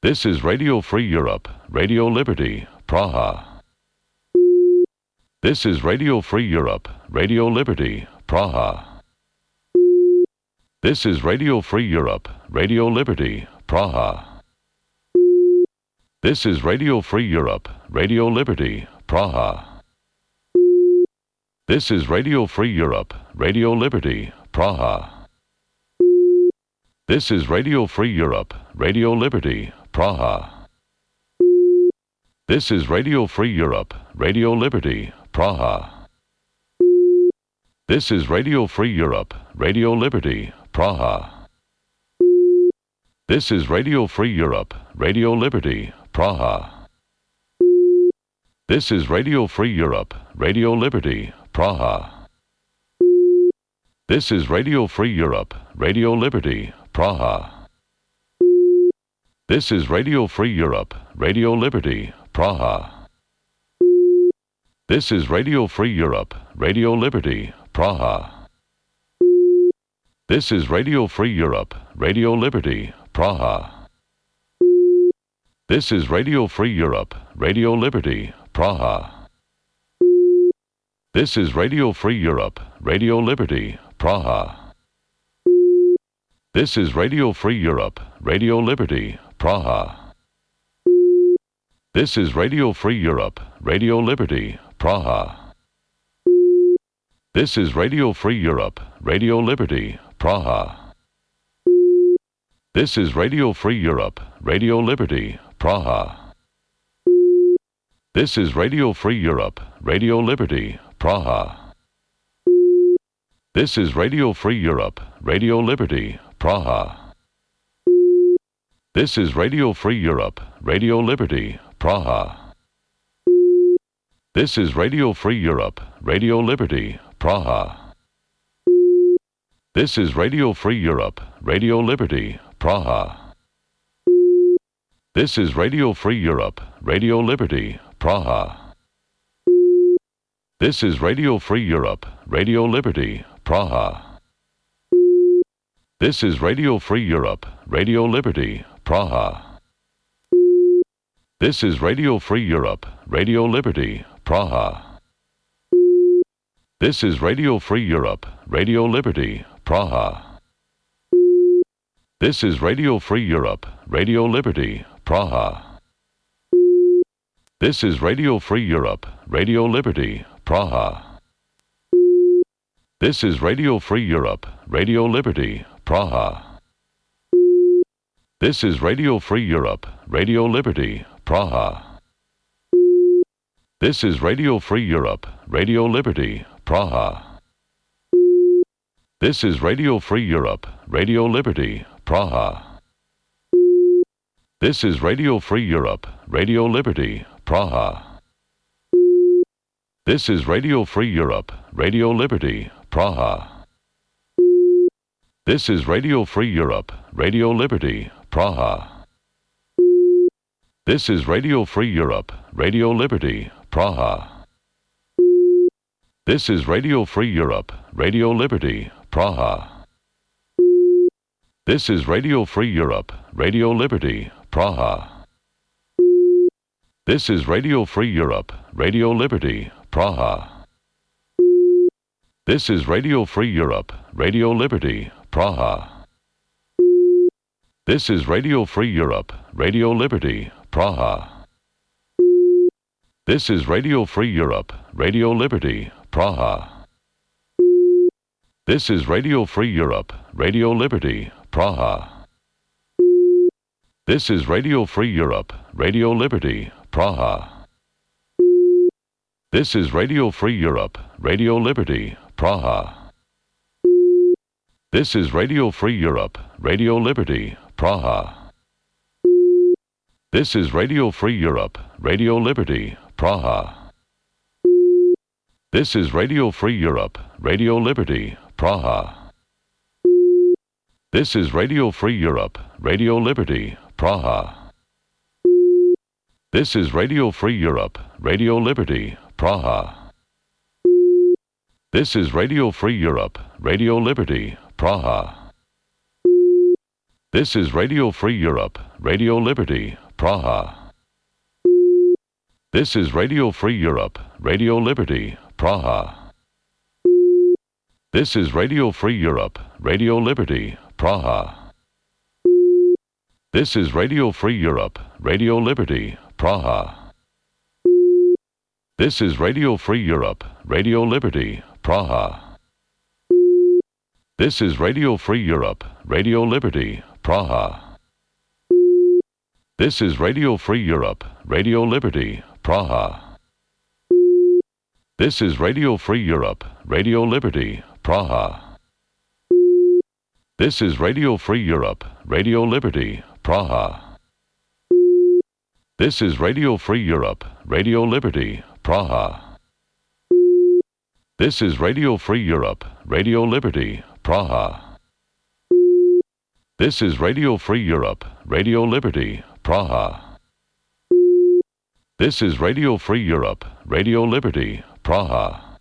This is Radio Free Europe, Radio Liberty, Praha. This is Radio Free Europe, Radio Liberty, Praha. This is Radio Free Europe, Radio Liberty, Praha. This is Radio Free Europe, Radio Liberty, Praha. This is Radio Free Europe, Radio Liberty, Praha. This is Radio Free Europe, Radio Liberty, Praha. This is Radio Free Europe, Radio Liberty, Praha. This is Radio Free Europe, Radio Liberty, Praha. This is Radio Free Europe, Radio Liberty, Praha. This is Radio Free Europe, Radio Liberty, Praha. This is Radio Free Europe, Radio Liberty, Praha. This is Radio Free Europe, Radio Liberty, Praha. This is Radio Free Europe, Radio Liberty, Praha. This is Radio Free Europe, Radio Liberty, Praha. This is Radio Free Europe, Radio Liberty, Praha. This is Radio Free Europe, Radio Liberty, Praha. This is Radio Free Europe, Radio Liberty, Praha. This is Radio Free Europe, Radio Liberty, Praha. This is Radio Free Europe, Radio Liberty, Praha. This is Radio Free Europe, Radio Liberty, Praha. This is Radio Free Europe, Radio Liberty, Praha. This is Radio Free Europe, Radio Liberty, Praha. This is Radio Free Europe, Radio Liberty, Praha. This is Radio Free Europe, Radio Liberty, Praha. This is Radio Free Europe, Radio Liberty, Praha. This is Radio Free Europe, Radio Liberty, Praha. This is Radio Free Europe, Radio Liberty, Praha. This is Radio Free Europe, Radio Liberty, Praha. This is Radio Free Europe, Radio Liberty, Praha. This is Radio Free Europe, Radio Liberty, Praha. This is Radio Free Europe, Radio Liberty, Praha. This is Radio Free Europe, Radio Liberty, Praha. This is Radio Free Europe, Radio Liberty, Praha. This is Radio Free Europe, Radio Liberty, Praha. This is Radio Free Europe, Radio Liberty, Praha. This is Radio Free Europe, Radio Liberty, Praha. This is Radio Free Europe, Radio Liberty, Praha. This is Radio Free Europe, Radio Liberty, Praha. This is Radio Free Europe, Radio Liberty, Praha. This is Radio Free Europe, Radio Liberty, Praha. This is Radio Free Europe, Radio Liberty, Praha. This is Radio Free Europe, Radio Liberty, Praha. This is Radio Free Europe, Radio Liberty, Praha. This is Radio Free Europe, Radio Liberty, Praha. This is Radio Free Europe, Radio Liberty, Praha. This is Radio Free Europe, Radio Liberty, Praha. This is Radio Free Europe, Radio Liberty, Praha. This is Radio Free Europe, Radio Liberty, Praha. This is Radio Free Europe, Radio Liberty, Praha. This is Radio Free Europe, Radio Liberty, Praha. This is Radio Free Europe, Radio Liberty, Praha. This is Radio Free Europe, Radio Liberty, Praha. This is Radio Free Europe, Radio Liberty, Praha. This is Radio Free Europe, Radio Liberty, Praha. This is Radio Free Europe, Radio Liberty, Praha. This is Radio Free Europe, Radio Liberty, Praha. This is Radio Free Europe, Radio Liberty, Praha. This is Radio Free Europe, Radio Liberty, Praha. This is Radio Free Europe, Radio Liberty, Praha. This is Radio Free Europe, Radio Liberty, Praha. This is Radio Free Europe, Radio Liberty, Praha. This is Radio Free Europe, Radio Liberty, Praha. This is Radio Free Europe, Radio Liberty, Praha. This is Radio Free Europe, Radio Liberty, Praha. This is Radio Free Europe, Radio Liberty, Praha. This is Radio Free Europe, Radio Liberty, Praha. This is Radio Free Europe, Radio Liberty, Praha. This is Radio Free Europe, Radio Liberty, Praha.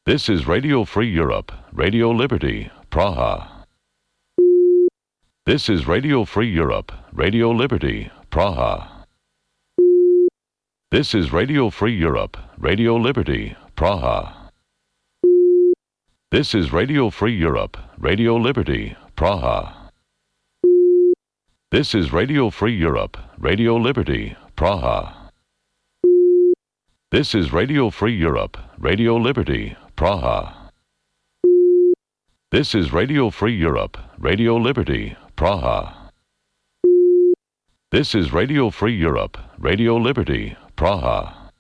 This is Radio Free Europe, Radio Liberty, Praha. This is Radio Free Europe, Radio Liberty, Praha. This is Radio Free Europe, Radio Liberty, Praha. This is Radio Free Europe, Radio Liberty, Praha. This is Radio Free Europe, Radio Liberty, Praha. This is Radio Free Europe, Radio Liberty, Praha. This is Radio Free Europe, Radio Liberty, Praha. This is Radio Free Europe, Radio Liberty, Praha.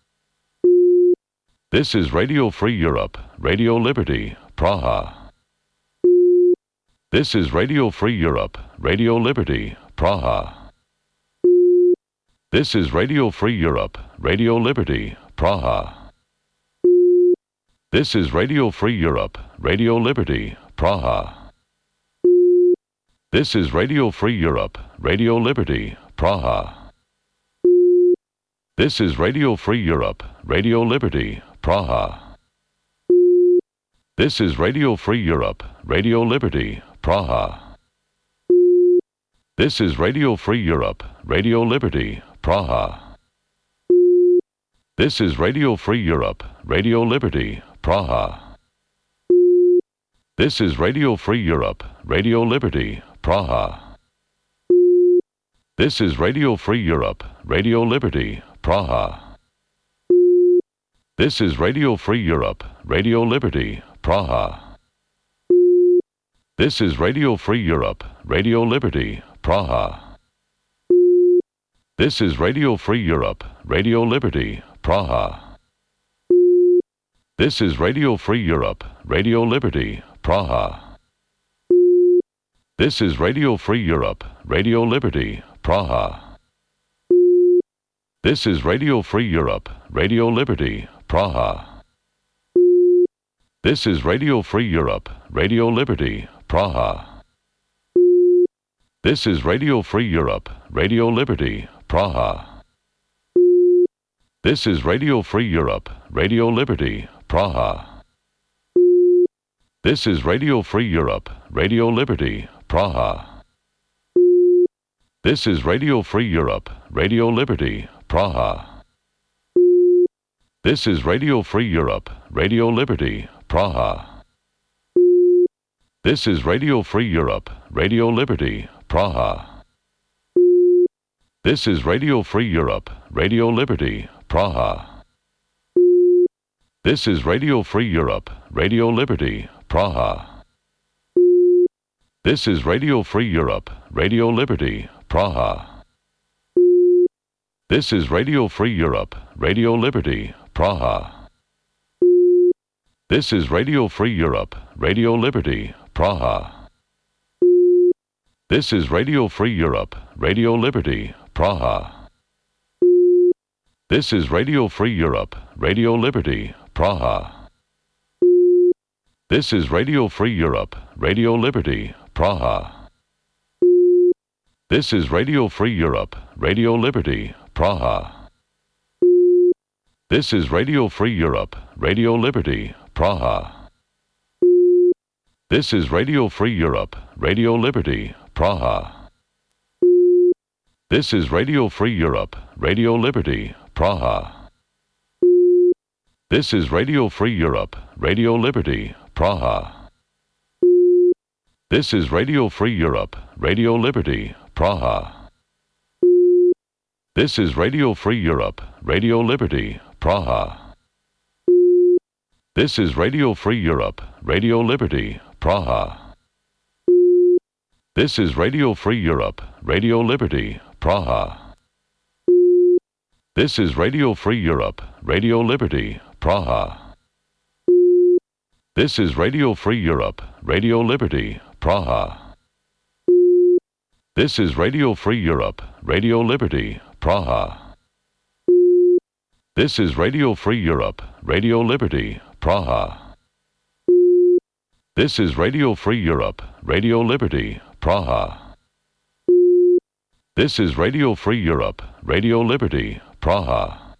This is Radio Free Europe, Radio Liberty, Praha. This is Radio Free Europe, Radio Liberty, Praha. This is Radio Free Europe, Radio Liberty, Praha. This is Radio Free Europe, Radio Liberty, Praha. This is Radio Free Europe, Radio Liberty, Praha. This is Radio Free Europe, Radio Liberty, Praha. This is Radio Free Europe, Radio Liberty, Praha. This is Radio Free Europe, Radio Liberty, Praha. This is Radio Free Europe, Radio Liberty, Praha. This is Radio Free Europe, Radio Liberty, Praha. This is Radio Free Europe, Radio Liberty, Praha. This is Radio Free Europe, Radio Liberty, Praha. This is Radio Free Europe, Radio Liberty, Praha. This is Radio Free Europe, Radio Liberty, Praha. This is Radio Free Europe, Radio Liberty, Praha. This is Radio Free Europe, Radio Liberty, Praha. This is Radio Free Europe, Radio Liberty, Praha. This is Radio Free Europe, Radio Liberty, Praha. This is Radio Free Europe, Radio Liberty, Praha. This is Radio Free Europe, Radio Liberty, Praha. This is Radio Free Europe, Radio Liberty, Praha. This is Radio Free Europe, Radio Liberty, Praha. This is Radio Free Europe, Radio Liberty, Praha. This is Radio Free Europe, Radio Liberty, Praha. This is Radio Free Europe, Radio Liberty, Praha. This is Radio Free Europe, Radio Liberty, Praha. This is Radio Free Europe, Radio Liberty, Praha. This is Radio Free Europe, Radio Liberty, Praha. This is Radio Free Europe, Radio Liberty, Praha. This is Radio Free Europe, Radio Liberty, Praha. This is Radio Free Europe, Radio Liberty, Praha. This is Radio Free Europe, Radio Liberty, Praha. This is Radio Free Europe, Radio Liberty, Praha. This is Radio Free Europe, Radio Liberty, Praha. This is Radio Free Europe, Radio Liberty, Praha. This is Radio Free Europe, Radio Liberty, Praha. This is Radio Free Europe, Radio Liberty, Praha. This is Radio Free Europe, Radio Liberty, Praha. This is Radio Free Europe, Radio Liberty, Praha. This is Radio Free Europe, Radio Liberty, Praha. This is Radio Free Europe, Radio Liberty, Praha. This is Radio Free Europe, Radio Liberty, Praha. This is Radio Free Europe, Radio Liberty, Praha. This is Radio Free Europe, Radio Liberty, Praha. This is Radio Free Europe, Radio Liberty, Praha. This is Radio Free Europe, Radio Liberty, Praha. This is Radio Free Europe, Radio Liberty, Praha.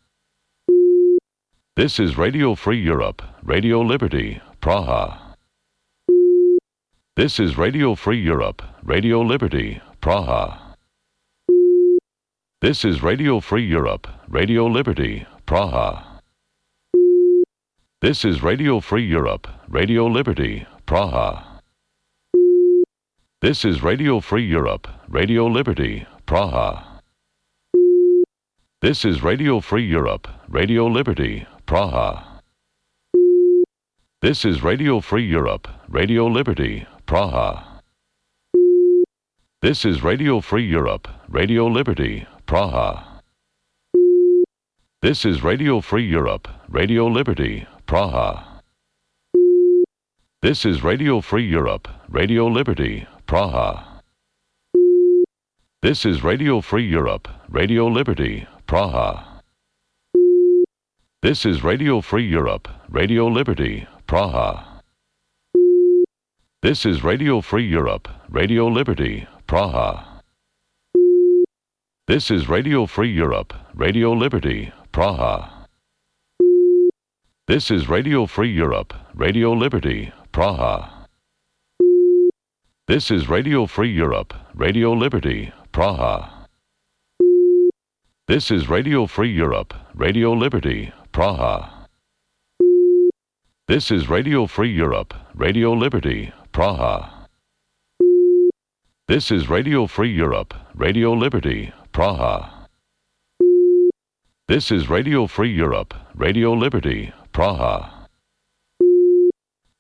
This is Radio Free Europe, Radio Liberty, Praha. This is Radio Free Europe, Radio Liberty, Praha. This is Radio Free Europe, Radio Liberty, Praha. This is Radio Free Europe, Radio Liberty, Praha. This is Radio Free Europe, Radio Liberty, Praha. This is Radio Free Europe, Radio Liberty, Praha. This is Radio Free Europe, Radio Liberty, Praha. This is Radio Free Europe, Radio Liberty, Praha. This is Radio Free Europe, Radio Liberty, Praha. This is Radio Free Europe, Radio Liberty, Praha. This is Radio Free Europe, Radio Liberty, Praha. This is Radio Free Europe, Radio Liberty, Praha. This is Radio Free Europe, Radio Liberty, Praha. This is Radio Free Europe, Radio Liberty, Praha. This is Radio Free Europe, Radio Liberty, Praha. This is Radio Free Europe, Radio Liberty, Praha. This is Radio Free Europe, Radio Liberty, Praha. This is Radio Free Europe, Radio Liberty, Praha. This is Radio Free Europe, Radio Liberty, Praha. This is Radio Free Europe, Radio Liberty, Praha.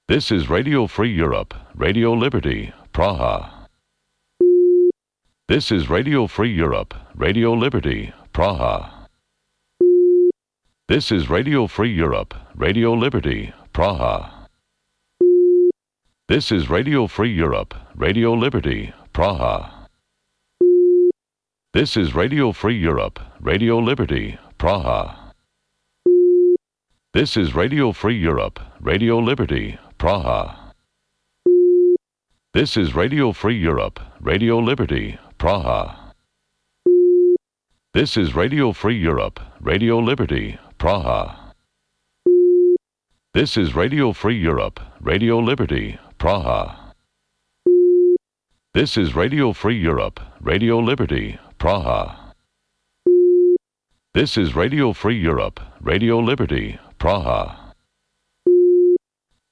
This is Radio Free Europe, Radio Liberty, Praha. This is Radio Free Europe, Radio Liberty, Praha. This is Radio Free Europe, Radio Liberty, Praha. This is Radio Free Europe, Radio Liberty, Praha. This is Radio Free Europe, Radio Liberty, Praha. This is Radio Free Europe, Radio Liberty, Praha. This is Radio Free Europe, Radio Liberty, Praha. This is Radio Free Europe, Radio Liberty, Praha. This is Radio Free Europe, Radio Liberty, Praha. This is Radio Free Europe, Radio Liberty, Praha. This is Radio Free Europe, Radio Liberty, Praha.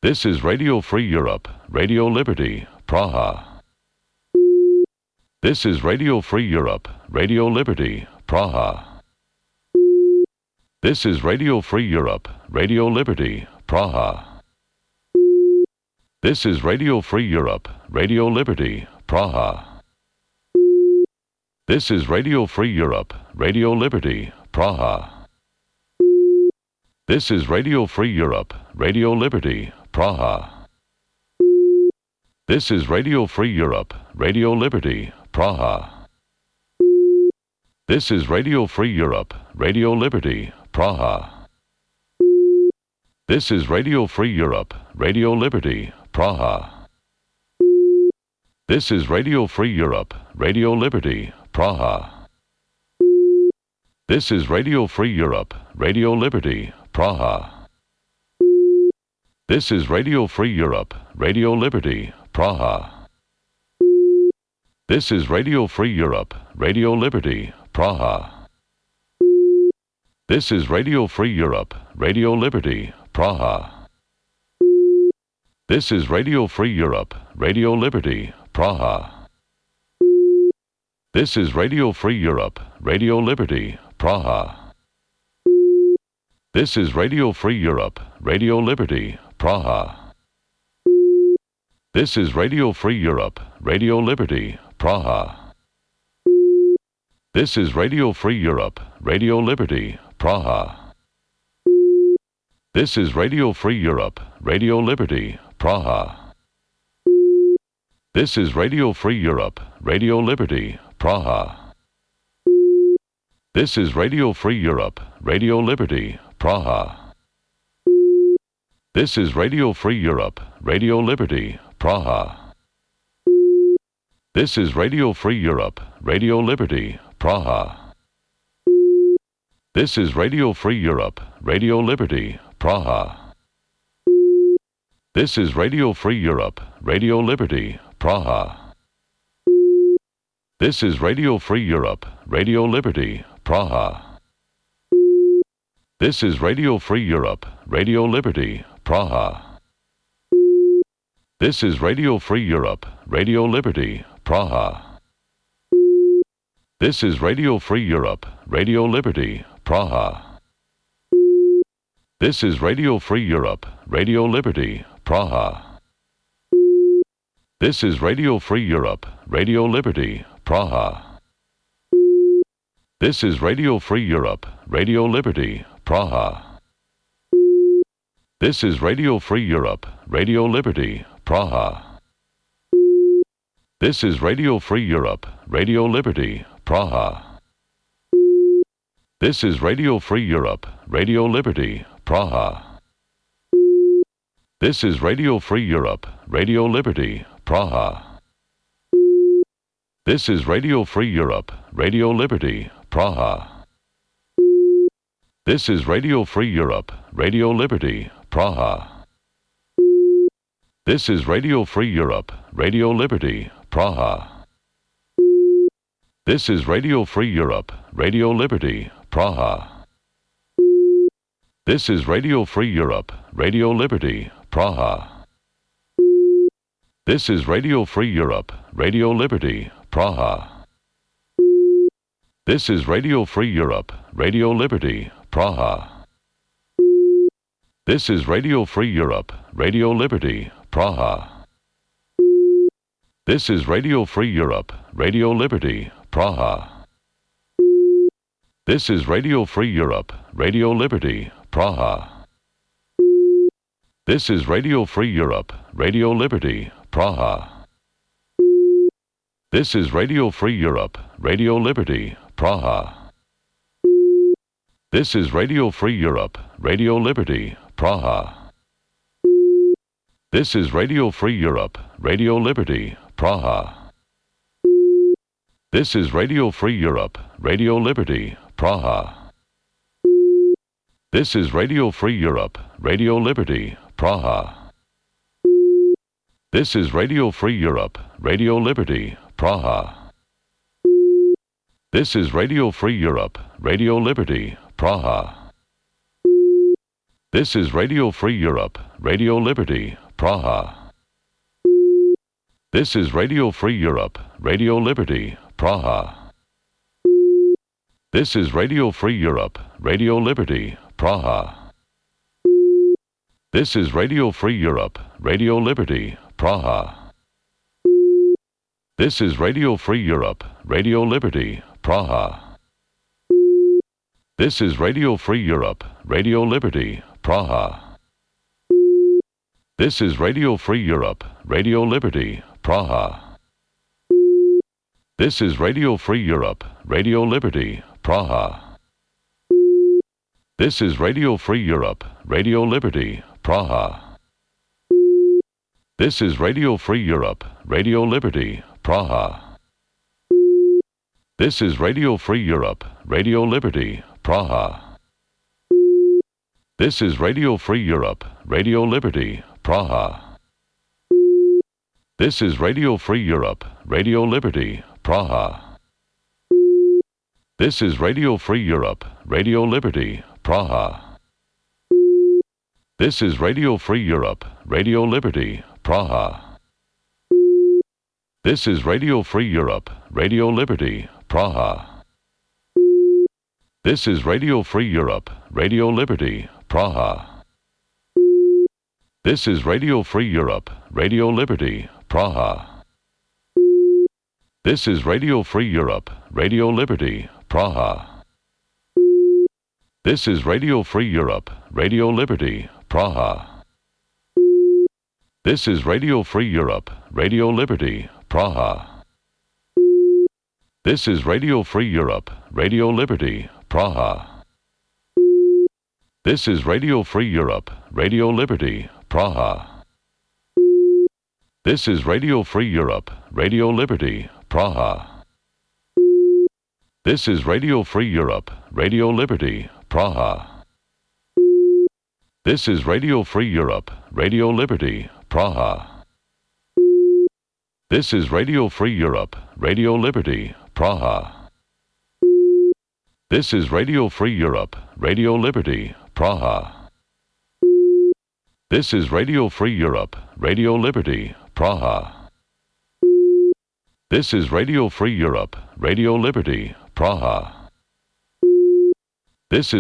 This is Radio Free Europe, Radio Liberty, Praha. This is Radio Free Europe, Radio Liberty, Praha. This is Radio Free Europe, Radio Liberty, Praha. This is Radio Free Europe, Radio Liberty, Praha. This is Radio Free Europe, Radio Liberty, Praha. This is Radio Free Europe, Radio Liberty, Praha. This is Radio Free Europe, Radio Liberty, Praha. This is Radio Free Europe, Radio Liberty, Praha. This is Radio Free Europe, Radio Liberty, Praha. This is Radio Free Europe, Radio Liberty, Praha. This is Radio Free Europe, Radio Liberty, Praha. This is Radio Free Europe, Radio Liberty, Praha. This is Radio Free Europe, Radio Liberty, Praha. This is Radio Free Europe, Radio Liberty, Praha. This is Radio Free Europe, Radio Liberty, Praha. This is Radio Free Europe, Radio Liberty, Praha. This is Radio Free Europe, Radio Liberty, Praha. This is Radio Free Europe, Radio Liberty, Praha. This is Radio Free Europe, Radio Liberty, Praha. This is Radio Free Europe, Radio Liberty, Praha. This is Radio Free Europe, Radio Liberty, Praha. This is Radio Free Europe, Radio Liberty, Praha. This is Radio Free Europe, Radio Liberty, Praha. This is Radio Free Europe, Radio Liberty, Praha. This is Radio Free Europe, Radio Liberty, Praha. This is Radio Free Europe, Radio Liberty, Praha. This is Radio Free Europe, Radio Liberty, Praha. This is Radio Free Europe, Radio Liberty, Praha. This is Radio Free Europe, Radio Liberty, Praha. This is Radio Free Europe, Radio Liberty, Praha. This is Radio Free Europe, Radio Liberty, Praha. This is Radio Free Europe, Radio Liberty, Praha. This is Radio Free Europe, Radio Liberty, Praha. This is Radio Free Europe, Radio Liberty, Praha. This is Radio Free Europe, Radio Liberty, Praha. This is Radio Free Europe, Radio Liberty, Praha. This is Radio Free Europe, Radio Liberty, Praha. This is Radio Free Europe, Radio Liberty, Praha. This is Radio Free Europe, Radio Liberty, Praha. This is Radio Free Europe, Radio Liberty, Praha. This is Radio Free Europe, Radio Liberty, Praha. This is Radio Free Europe, Radio Liberty, Praha. This is Radio Free Europe, Radio Liberty, Praha. This is Radio Free Europe, Radio Liberty, Praha. This is Radio Free Europe, Radio Liberty, Praha. This is Radio Free Europe, Radio Liberty, Praha. This is Radio Free Europe, Radio Liberty, Praha. This is Radio Free Europe, Radio Liberty, Praha. This is Radio Free Europe, Radio Liberty, Praha. This is Radio Free Europe, Radio Liberty, Praha. This is Radio Free Europe, Radio Liberty, Praha. This is Radio Free Europe, Radio Liberty, Praha. This is Radio Free Europe, Radio Liberty, Praha. This is Radio Free Europe, Radio Liberty, Praha. This is Radio Free Europe, Radio Liberty, Praha. This is Radio Free Europe, Radio Liberty, Praha. This is Radio Free Europe, Radio Liberty, Praha. This is Radio Free Europe, Radio Liberty, Praha. This is Radio Free Europe, Radio Liberty, Praha. This is Radio Free Europe, Radio Liberty, Praha. This is Radio Free Europe, Radio Liberty, Praha. This is Radio Free Europe, Radio Liberty, Praha. This is Radio Free Europe, Radio Liberty, Praha. This is Radio Free Europe, Radio Liberty, Praha. This is Radio Free Europe, Radio Liberty, Praha. This is Radio Free Europe, Radio Liberty, Praha. This is Radio Free Europe, Radio Liberty, Praha. This is Radio Free Europe, Radio Liberty, Praha. This is Radio Free Europe, Radio Liberty, Praha. This is Radio Free Europe, Radio Liberty, Praha. This is Radio Free Europe, Radio Liberty, Praha. This is Radio Free Europe, Radio Liberty, Praha. This is Radio Free Europe, Radio Liberty, Praha. This is Radio Free Europe, Radio Liberty, Praha. This is Radio Free Europe, Radio Liberty, Praha. This is Radio Free Europe, Radio Liberty, Praha. This is Radio Free Europe, Radio Liberty, Praha. This is Radio Free Europe, Radio Liberty, Praha. This is Radio Free Europe, Radio Liberty, Praha. This is Radio Free Europe, Radio Liberty, Praha. This is Radio Free Europe, Radio Liberty, Praha. This is Radio Free Europe, Radio Liberty, Praha. This is Radio Free Europe, Radio Liberty, Praha. This is Radio Free Europe, Radio Liberty, Praha. This is Radio Free Europe, Radio Liberty, Praha. This is